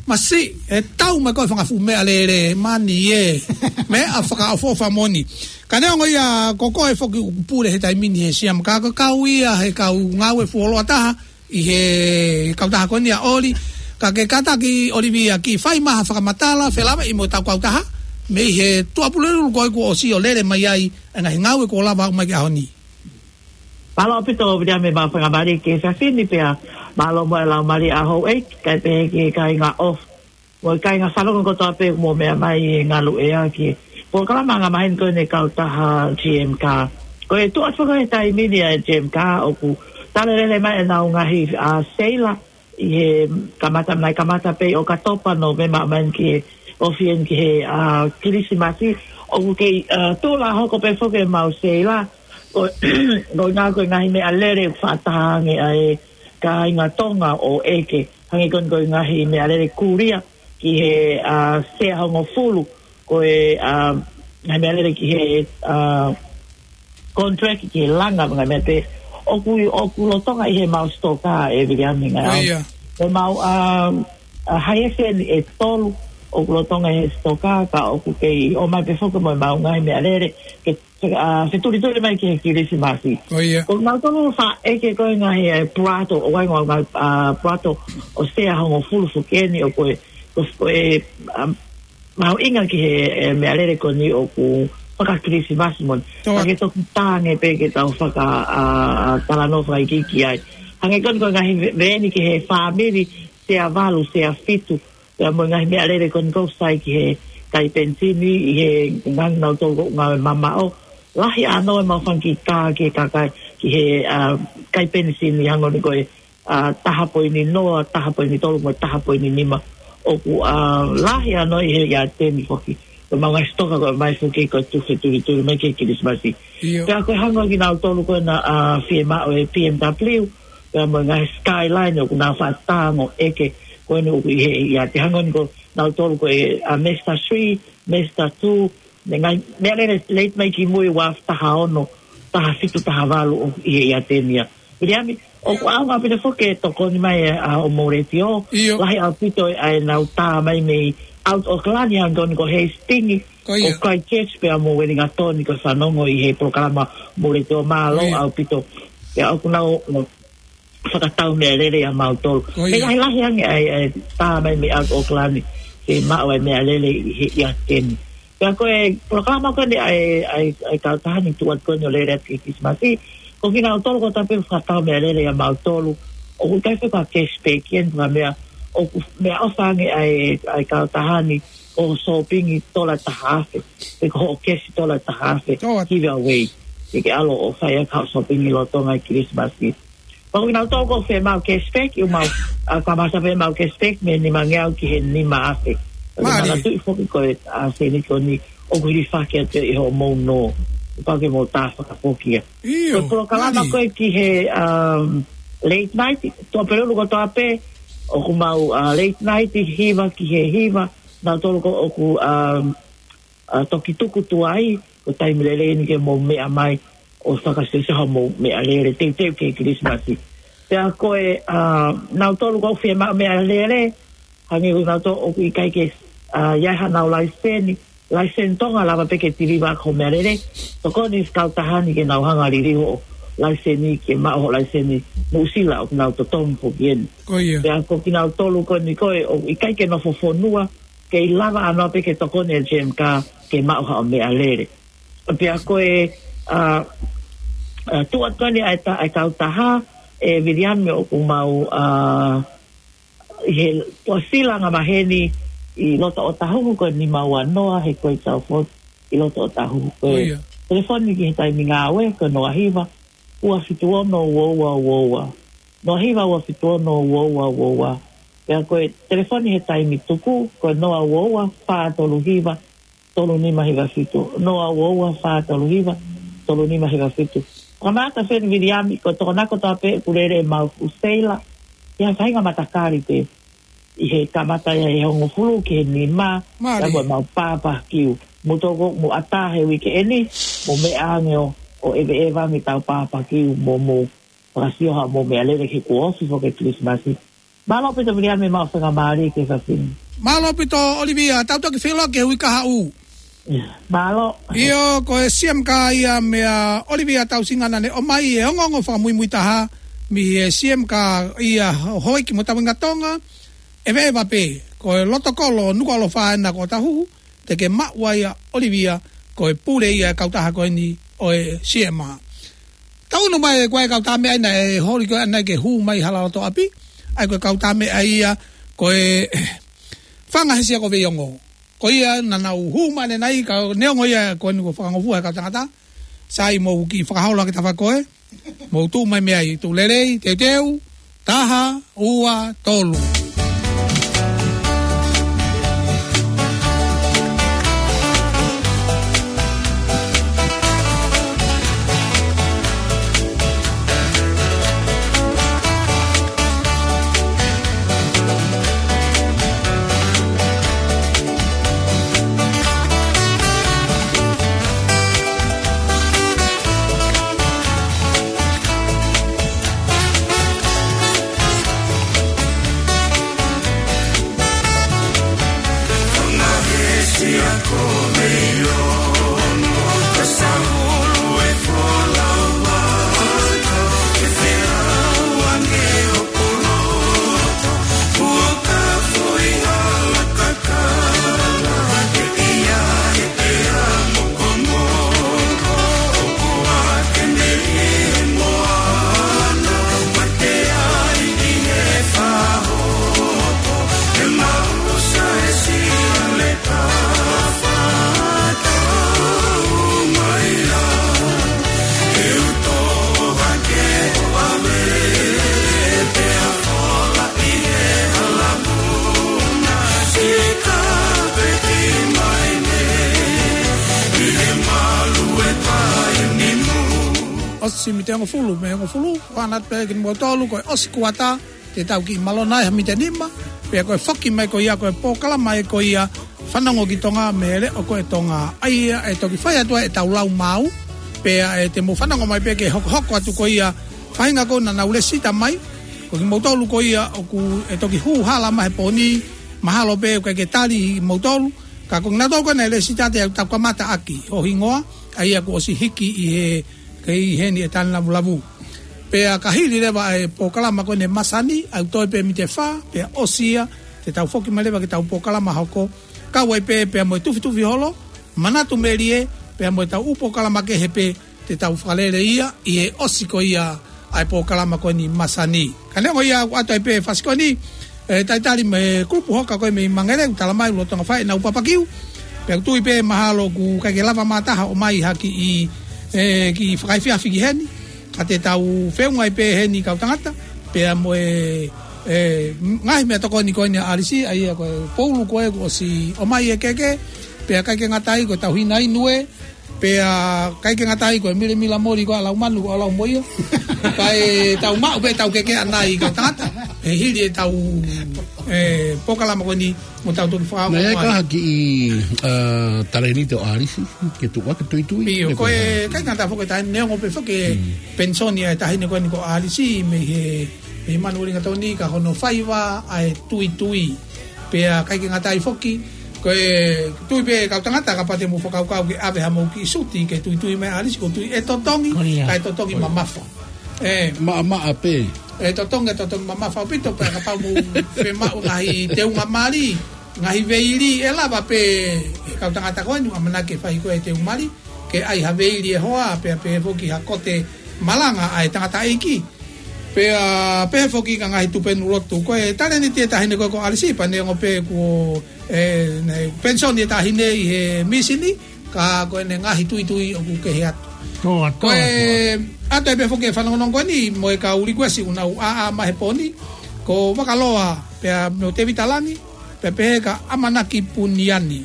Masiʻi, ʻe tau mai ko e fanga fuʻu meʻalele, mani ē. Meʻa fakaʻofoʻofa moʻoni. Ka neongo ia ko koe foki ʻoku pule he taimi ni he C M K, ka ko e kau ia he kau ngāue fuoloa taha ʻi he kautaha ko eni ʻa ʻOli. Ka ke kātaki ʻOlivia ke fai mai ha fakamatala, felāveʻi mo ʻetau kautaha. Mei he Tuʻapulelulu ko ē kuo ʻosi ʻo lele mai ai, ʻa e ngaahi ngāue kuo lava ʻo aʻu mai ki he ʻaho ni. Mālō ʻaupito, Viliami, mau fakamālō ki he efiafi ni pea mālō mo e laumālie ʻa houʻeiki, kae pehē ki he kāinga ʻofa mo e kāinga fanongo kotoa pē ʻoku mou meʻa mai he ngaluʻea ki he polokalama angamaheni ko eni ʻa e kautaha G M K. Ko e tuʻu atu ko ē he taimi ni ʻa e G M K ʻoku tala lelei mai ʻenau ngaahi, ʻa, seila ʻi he kamata, naʻe kamata pē ʻi ʻOkatopa, Nōvema, ʻo aʻu mai ki he ofi eni ki he, ʻa, Kilisimasi. ʻOku kei, ʻa, tuʻu lā hoko pē foki ʻemau seila. Ko, ko e ngaahi, ko e ngaahi meʻalele ʻoku fakataha ange ʻa e kāinga Tonga ʻo ʻeke. Hangē ko eni ko e ngaahi meʻalele kulia ki he, ʻa, sea hongofulu. Ko e, ʻa, ngaahi meʻalele ki he, ʻa, contract ki he langa, ngaahi meʻa pē ʻoku, ʻoku lolotonga ʻi heʻemau sitoka ʻe Viliami ngā. Ko ia. ʻEmau, ʻa, ʻa, haieseni ʻe tolu ʻoku lolotonga ʻi he sitoka, ka ʻoku kei ʻomai pē foki mo ʻemau ngaahi meʻalele ke, ke, ʻa, fetulituli mai ki he Kilisimasi. Ko ia. Ko kinautolu faʻa ʻeke ko e ngaahi, ʻa e plato, ʻoku ʻi ai ngaahi, ʻa, plato ʻo sea hongofulu foki eni ʻoku, ko, ko e, ʻa, mahuʻinga ki he, ʻe, meʻalele ko eni ʻoku faka-Kilisimasi moʻoni. Toa. Ka ke toki tā ange pē ke tau faka, ʻa, ʻa, talanoa fakaikiiki ai. Hangē ko eni ko e ngaahi ve-, veeni ki he fāmili, sea valu, sea fitu. Pea mo e ngaahi meʻalele ko eni ʻoku sai ki he kai penisini, ʻi he ngaahi nautolu ko ē ngāue mamaʻo. Lahi ʻānoa ʻemau fanga kiʻi kā ki he kakai, ki he, ʻa, kai penisini hangē ko eni ko e ʻa, taha poini noa, taha poini tolu mo e taha poini nima. ʻOku, ʻa, lahi ʻānoa ʻi he ʻiate ni foki. Ko ʻemau ngaahi sitoka ko ē mai foki ko e tuʻu fetulituli mai ki he Kilisimasi. ʻIo. Pea ko e hangē ko kinautolu ko ena, ʻa, fiemaʻu e B M W, pea mo e ngaahi Skyline ʻoku nau faʻa tango ʻeke ko eni ʻoku ʻi he ʻiate, hangē ko kinautolu ko e, ʻa, Mazda three, Mazda two, mo e ngaahi meʻalele late mai ki mui, Wharf taha ono, taha fitu, taha valu ʻoku ʻi he ʻiate ni ia. Viliami, ʻoku ʻaonga ʻaupito foki e tokoni mai ʻa, ʻa hoʻomou letiō. ʻIo. Lahi ʻaupito ʻa ʻenau tā mai mei ʻAutu ʻAokalani hangē ko eni ko Hastings, ko ia, ko Christchurch pea mo Wellington ko e fanongo ʻi he polokalama hoʻomou letiō, mālō, ko ia, ʻaupito. Pea ʻoku nau, nau fakatau meʻalele ʻia mautolu. Ko ia. He lahilahi ange ʻa e, ʻa e tā mai mei ʻAutu ʻAokalani ke maʻu ʻa e meʻalele ʻi he ʻiate ni. Pea ko e polokalama ko eni ʻa e, ʻa e, ʻa e kautaha ni tuʻu atu ko eni ʻo lele atu ki he Kilisimasi. Ko kinautolu kotoa pē ʻoku fakatau meʻalele ʻia mautolu. ʻOku ʻikai fai ha cashback ia, ko e meʻa, ʻoku meʻaʻofa ange ʻa e, ʻa e kautaha ni, ko hoʻo sōpingi tola ʻe taha afe, pe ko hoʻo kesi tola ʻe taha afe, Toa. give away. Ke ke ʻalu ʻo fai ʻaki haʻo sōpingi lolotonga e Kilisimasi. Pea ko kinautolu ʻoku fiemaʻu cashback, ʻoku mau, ʻa, kamata pē ʻemau cashback mei he nimangeau ki he nima afe. Mālie. Manatuʻi foki ko e, ʻa, sēniti ko eni ʻoku hilifaki atu ʻi hoʻomou nō. Pau ke mou tā fakafoki ia. ʻIo, ko e polokalama, mālie, ko ē ki he, um, late night, Tuʻapulelulu kotoa pē, ʻoku mau, ʻa, late night hiva ki he hiva, nautolu ko ē ʻoku, um, ʻa, toki tuku tuai, ko e taimi lelei eni ke mou meʻa mai ʻo fakasesa hoʻomou meʻalele teuteu ki he Kilisimasi. Pea ko e, ʻa, nautolu ʻoku fiemaʻu meʻalele, hangē ko kinautolu ʻoku ʻikai ke, ʻa, ʻi ai haʻanau laiseni, laiseni Tonga, lava pē ke tiliva ʻaki hoʻo meʻalele, tokoni e kautaha ni ke nau hanga ʻo liliu hoʻo laiseni ke maʻu hoʻo laiseni Nuʻu Sila ʻoku nau totongi foki eni. Ko ia. Pea ko kinautolu ko eni ko ē ʻoku ʻikai ke nofo fonua, kei lava ʻānoa pē ke tokoni e G M K ke maʻu haʻo meʻalele. Pea ko e, ʻa, ʻa, tuʻu atu ko eni ʻa e ta-, ʻa e kautaha, ʻe Viliami, ʻoku mau, ʻa, ʻi he tuʻasila ʻanga maheni ʻi loto ʻOtahuhu ko e nima ua noa, he ko e tau fot-, ʻi loto ʻOtahuhu ko e. ʻIo. Telefoni ki he taimi ngāue ko e noa hiva, ua fitu ono, ua ua ua ua. Noa hiva, ua fitu ono, ua ua ua ua. Pea ko e telefoni he taimi tuku ko e noa ua ua, fā tolu hiva, tolu nima hiva fitu. Noa ua ua, fā tolu hiva, tolu nima hiva fitu. Kamata Feni Viliami, ko e tokonaki kotoa pē ʻoku lele ʻemau fuʻu seila ʻi ha faʻahinga matakali pē. ʻI he kamata ia he hongofulu ki he nima, Mālie. Pea ko ʻemau pāpakiu. Mou toki, mou ʻatā he uike eni, mou meʻa ange ʻo, ʻo ʻeveʻeva ange ʻetau pāpakiu, mou, mou fakasio haʻamou meʻalele he kuo ofi foki e Kilisimasi. Mālō ʻaupito Viliami, maʻu faingamālie ki he efiafi ni. Mālō ʻaupito ʻOlivia, tau toki feʻiloaki he uike kahaʻu. Mālō. ʻIo, ko e C M K ia meia ʻOlivia Tausinga naʻa ne ʻomai e ongoongo fakamuimui taha mei he C M K ia Houʻeiki mo Tamuinga Tonga, ʻEveʻeva pē, ko e loto kolo Nukuʻalofa ena ko ʻOtahuhu, te ke maʻu ai ʻa ʻOlivia, ko e pule ia e kautaha ko eni ʻo e C M A. Tau ʻunu mai ko e kau tā meʻa ʻi he holi ko ē ʻanai ke hū mai hala loto ʻapi, ʻa ia ko e kau tā meʻa ia ko e Fanga Hesia ko Veiongo. Ko ia naʻa nau hū mai ʻanenai ka neongo ia ko eni kuo fakangofua he kau tangata, sai mou kiʻi fakaholo ʻaki e tafaʻaki ko ē, mou tuʻu mai mei ai, tuʻu lelei, teuteu, taha, ua, tolu. ʻOsi mite hongofulu, mei hongofulu, ʻoange atu pē kimoutolu, ko e ʻosi kuata, te tau kiʻi malona ai ha mite nima, pea ko e foki mai ko ia ko e polokalama ē ko ia Fanongo ki Tonga mei he Leʻo ko e Tonga. ʻA ia ʻe toki fai atu ai ʻetau lau maau, pea ʻe te mou fanongo mai pē ke hokohoko atu ko ia faʻahinga ko ē naʻa nau lēsisita mai, ko kimoutolu ko ia ʻoku ʻe toki hū hala mai he pō ni, mahalo pē ʻoku ʻikai ke tali kimoutolu, ka ko kinautolu ko ē naʻe lēsisita te tau kamata ʻaki ho hingoa, ʻa ia kuo ʻosi hiki ʻi he, kei heni e tani lavulavu. Pea ka hili leva e polokalama ko eni e masani, ʻoku toe pē mite fā, pea ʻosi ia, te tau foki mai leva ki heʻetau polokalama hoko, kau ai pē, pea mo e Tufitufi Holo, Manatu Melie, pea mo ʻetau ʻū polokalama kehe pē, te tau fakalele ia, ʻi he ʻosi ko ia ʻa e polokalama ko eni masani. Ka neongo ia ʻoku ʻoatu ai pē fasi ko eni, ʻe talitali mei he kulupu hoka ko ē mei Mangere, ʻoku tala mai ʻoku lolotonga fai ʻenau papakiu. Pea ʻoku tui pē mahalo ʻoku ʻikai ke lava mā taha ʻo ʻomai ha kiʻi, ʻe, kiʻi fakaefiafi ki heni. Ka te tau feʻunga ai pē heni kau tangata. Pea mo e, e, ngaahi meʻatokoni ko eni ʻa ʻAlisi, ʻa ia ko e poulu ko ē kuo ʻosi ʻomai e keke. Pea ʻikai ke ngata ai ko e tauhina inu ē. Pea ʻikai ke ngata ai ko e milemila moli ko ē ʻa Laumanu ko ʻalu mo ia. Kae tau maʻu pē ʻetau keke ʻanai kau tangata. He hili ʻetau, e, polokalama ko eni mo tau toki fakaongo mai. Naʻe ʻi ai ha kiʻi, ʻa, talēniti ʻo ʻAlisi, ke tuʻu ʻaki tuitui. ʻIo, ko e, ʻikai ke ngata foki e taʻahine neongo pē foki e penisoni ʻa e taʻahine ko eni ko ʻAlisi, mei he, mei he Manuʻuli Gatoni ka ko hono faiva ʻa e tuitui. Pea ʻikai ke ngata ai foki, ko e tui pē kau tangata kapau te mou fakakaukau ke ʻave hamou kiʻi suti ke tuitui mai ʻAlisi, ko e tui ʻe totongi, kae totongi mamafa. ʻE. Maʻamaʻa pē. ʻE totongi, ʻe totongi mamafa ʻaupito, pea kapau mou fiemaʻu ngaahi teunga mali, ngaahi veili, ʻe lava pē kau tangata ko eni, ʻamanaki ke fai ko e teunga mali. ke ʻai ha veili e hoa, pea pehē foki ha kote malanga ʻa e tangataʻeiki. Pea pehē foki ki he ngaahi tupenu lotu. Ko e talēniti e taʻahine ko ē ko Alisi, pea neongo pē kuo, ē, ne penisoni e taʻahine ʻi he mīsini, ka ko ʻene ngaahi tuitui ʻoku kehe atu. Toa, toa, toa. Ko e ʻoatu pē foki e fanongonongo ko eni mo e kau likuesi ʻoku nau ʻā mai he pō ni, ko Vakaloa pea mo Tēvita Langi, pea pehē kia ʻAmanaki Puniani.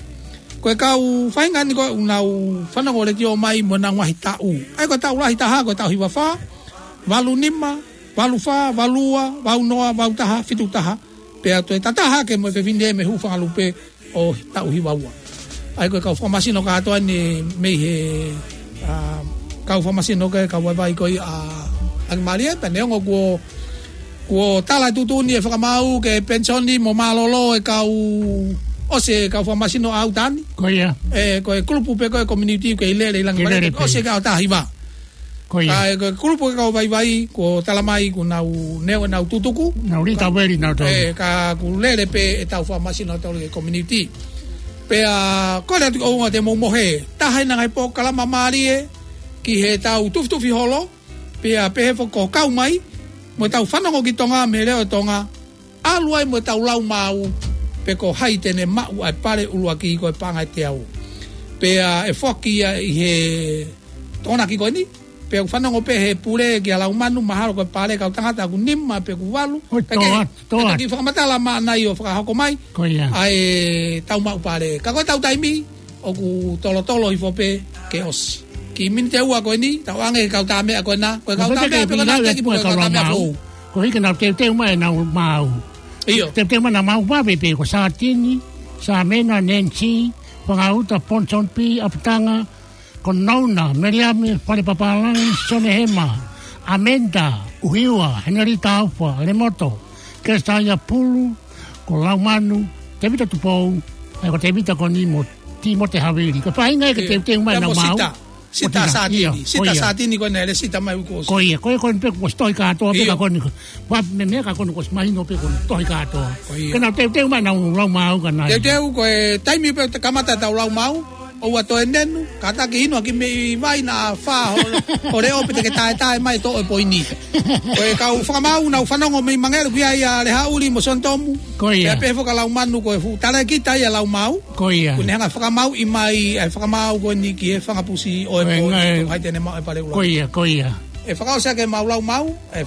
Ko e kau faʻahinga ni ko ē ʻoku nau fanongo letiō mai mo ʻenau ngaahi taʻu. ʻA ia ko e taʻu lahi taha ko e taʻu hiva fā, valu nima, valu fā, valu ua, valu noa, valu taha, fitu taha. Pea toe tataha ke mo e fefine mei Hūfangalupe ʻo taʻu hiva ua. ʻA ia ko e kau fakamasino kātoa ni mei he, ā, kau fakamasino ko ē kau vaivai ko ia ʻa ʻAki Mālie, pea neongo kuo, kuo tala e tuʻutuʻuni e fakamaau ke penisoni mo mālōlō e kau, ʻosi e kau fakamasino ʻa ʻUtani. Ko ia. Ē, ko e kulupu pē ko ē community ke ʻi lele ʻi langi. Ke lele pē. ʻOsi e kau taha hiva. Ko ia. Ka ko e kulupu e kau vaivai, kuo tala mai kuo nau neongo ʻenau tutuku. Nau lī tau veli nau tau. Ē, ka kuo lele pē e tau fakamasino tau le community. Pea ko e lea atu ʻoku ou ʻoatu ʻe mou mohe. Taha ʻi he ngaahi polokalama mālie ki he tau tufitufi holo. Pea pehē foki ko e kau mai mo e tau fanongo ki Tonga mei he leʻo ʻo Tonga. ʻAlu ai mo e tau lau maau, pe ko hai te ne maʻu ʻa e pale ʻuluaki ko e paʻanga ʻe teau. Pea ʻe foaki ia ʻi he Tokonaki ko eni, pea ʻoku fanongo pē he pule kia Laumanu, mahalo ko e pale kau tangata ʻoku nima pe ʻoku valu. ʻOi, toa, toa. Pea ke toki fakamatala maʻana ʻo fakahoko mai. Ko ia. ʻA e tau maʻu pale. Ka ko e tau taimi, ʻoku tolotolo hifo pē ke ʻosi. Kiʻi miniti ʻe ua ko eni, tau ʻange ki he kau tāmeʻa ko ena, ko e kau tāmeʻa pē ko ena, teki pē ko e kau tāmeʻa foʻou. Ko e hiki nau teuteu mai ʻenau maau. ʻIo. Teuteu mai ʻenau maau vave pē ko Sātini, Sāmena, Nancy, Fangauta, Ponsonby, ʻApatanga, ko Nouna, Meliame, Fale Papālangi, Sonehema, ʻAmenda, ʻUhiua, Henelita Aufa, Lemoto, Kesaia Pulu, ko Laumanu, Tēvita Tupou, ʻa ia ko Tēvita ko eni mo Tīmote Havili. Ko e faʻahinga ia ke teuteu mai ʻenau maau. Sita. Sita Sātini. Sita Sātini ko ena ʻe sita mai ʻoku ʻosi. Ko ia, ko ia ko ena pē kuo ʻosi tohi kātoa pē ka ko eni. Pea meimei ka ko eni kuo ʻosi mahino pē kuo tohi kātoa. Ko ia. Ke nau teuteu mai ʻenau lau maau ka nai. Teuteu ko e taimi pē te kamata tau lau maau. ʻOua toe nenu, kātaki inu ʻaki mei vai naʻa fā ho, ho leʻo pē te ke taetae mai toʻo e poini. Ko e kau fakamaau nau fanongo mei Mangere, ʻoku ʻi ai ʻa Lehaʻuli mo Sonitomu. Ko ia. Pea pehē foki kia Laumanu ko e fuʻu talēkita ia lau maau. Ko ia. Kuo ne hanga fakamaauʻi mai, ʻa e fakamaau ko eni ki he fanga pusi ʻo e poini, ko hai te ne maʻu e pale ʻuluaki. Ko ia, ko ia. ʻE fakaʻosi ʻaki ʻemau lau maau, ʻe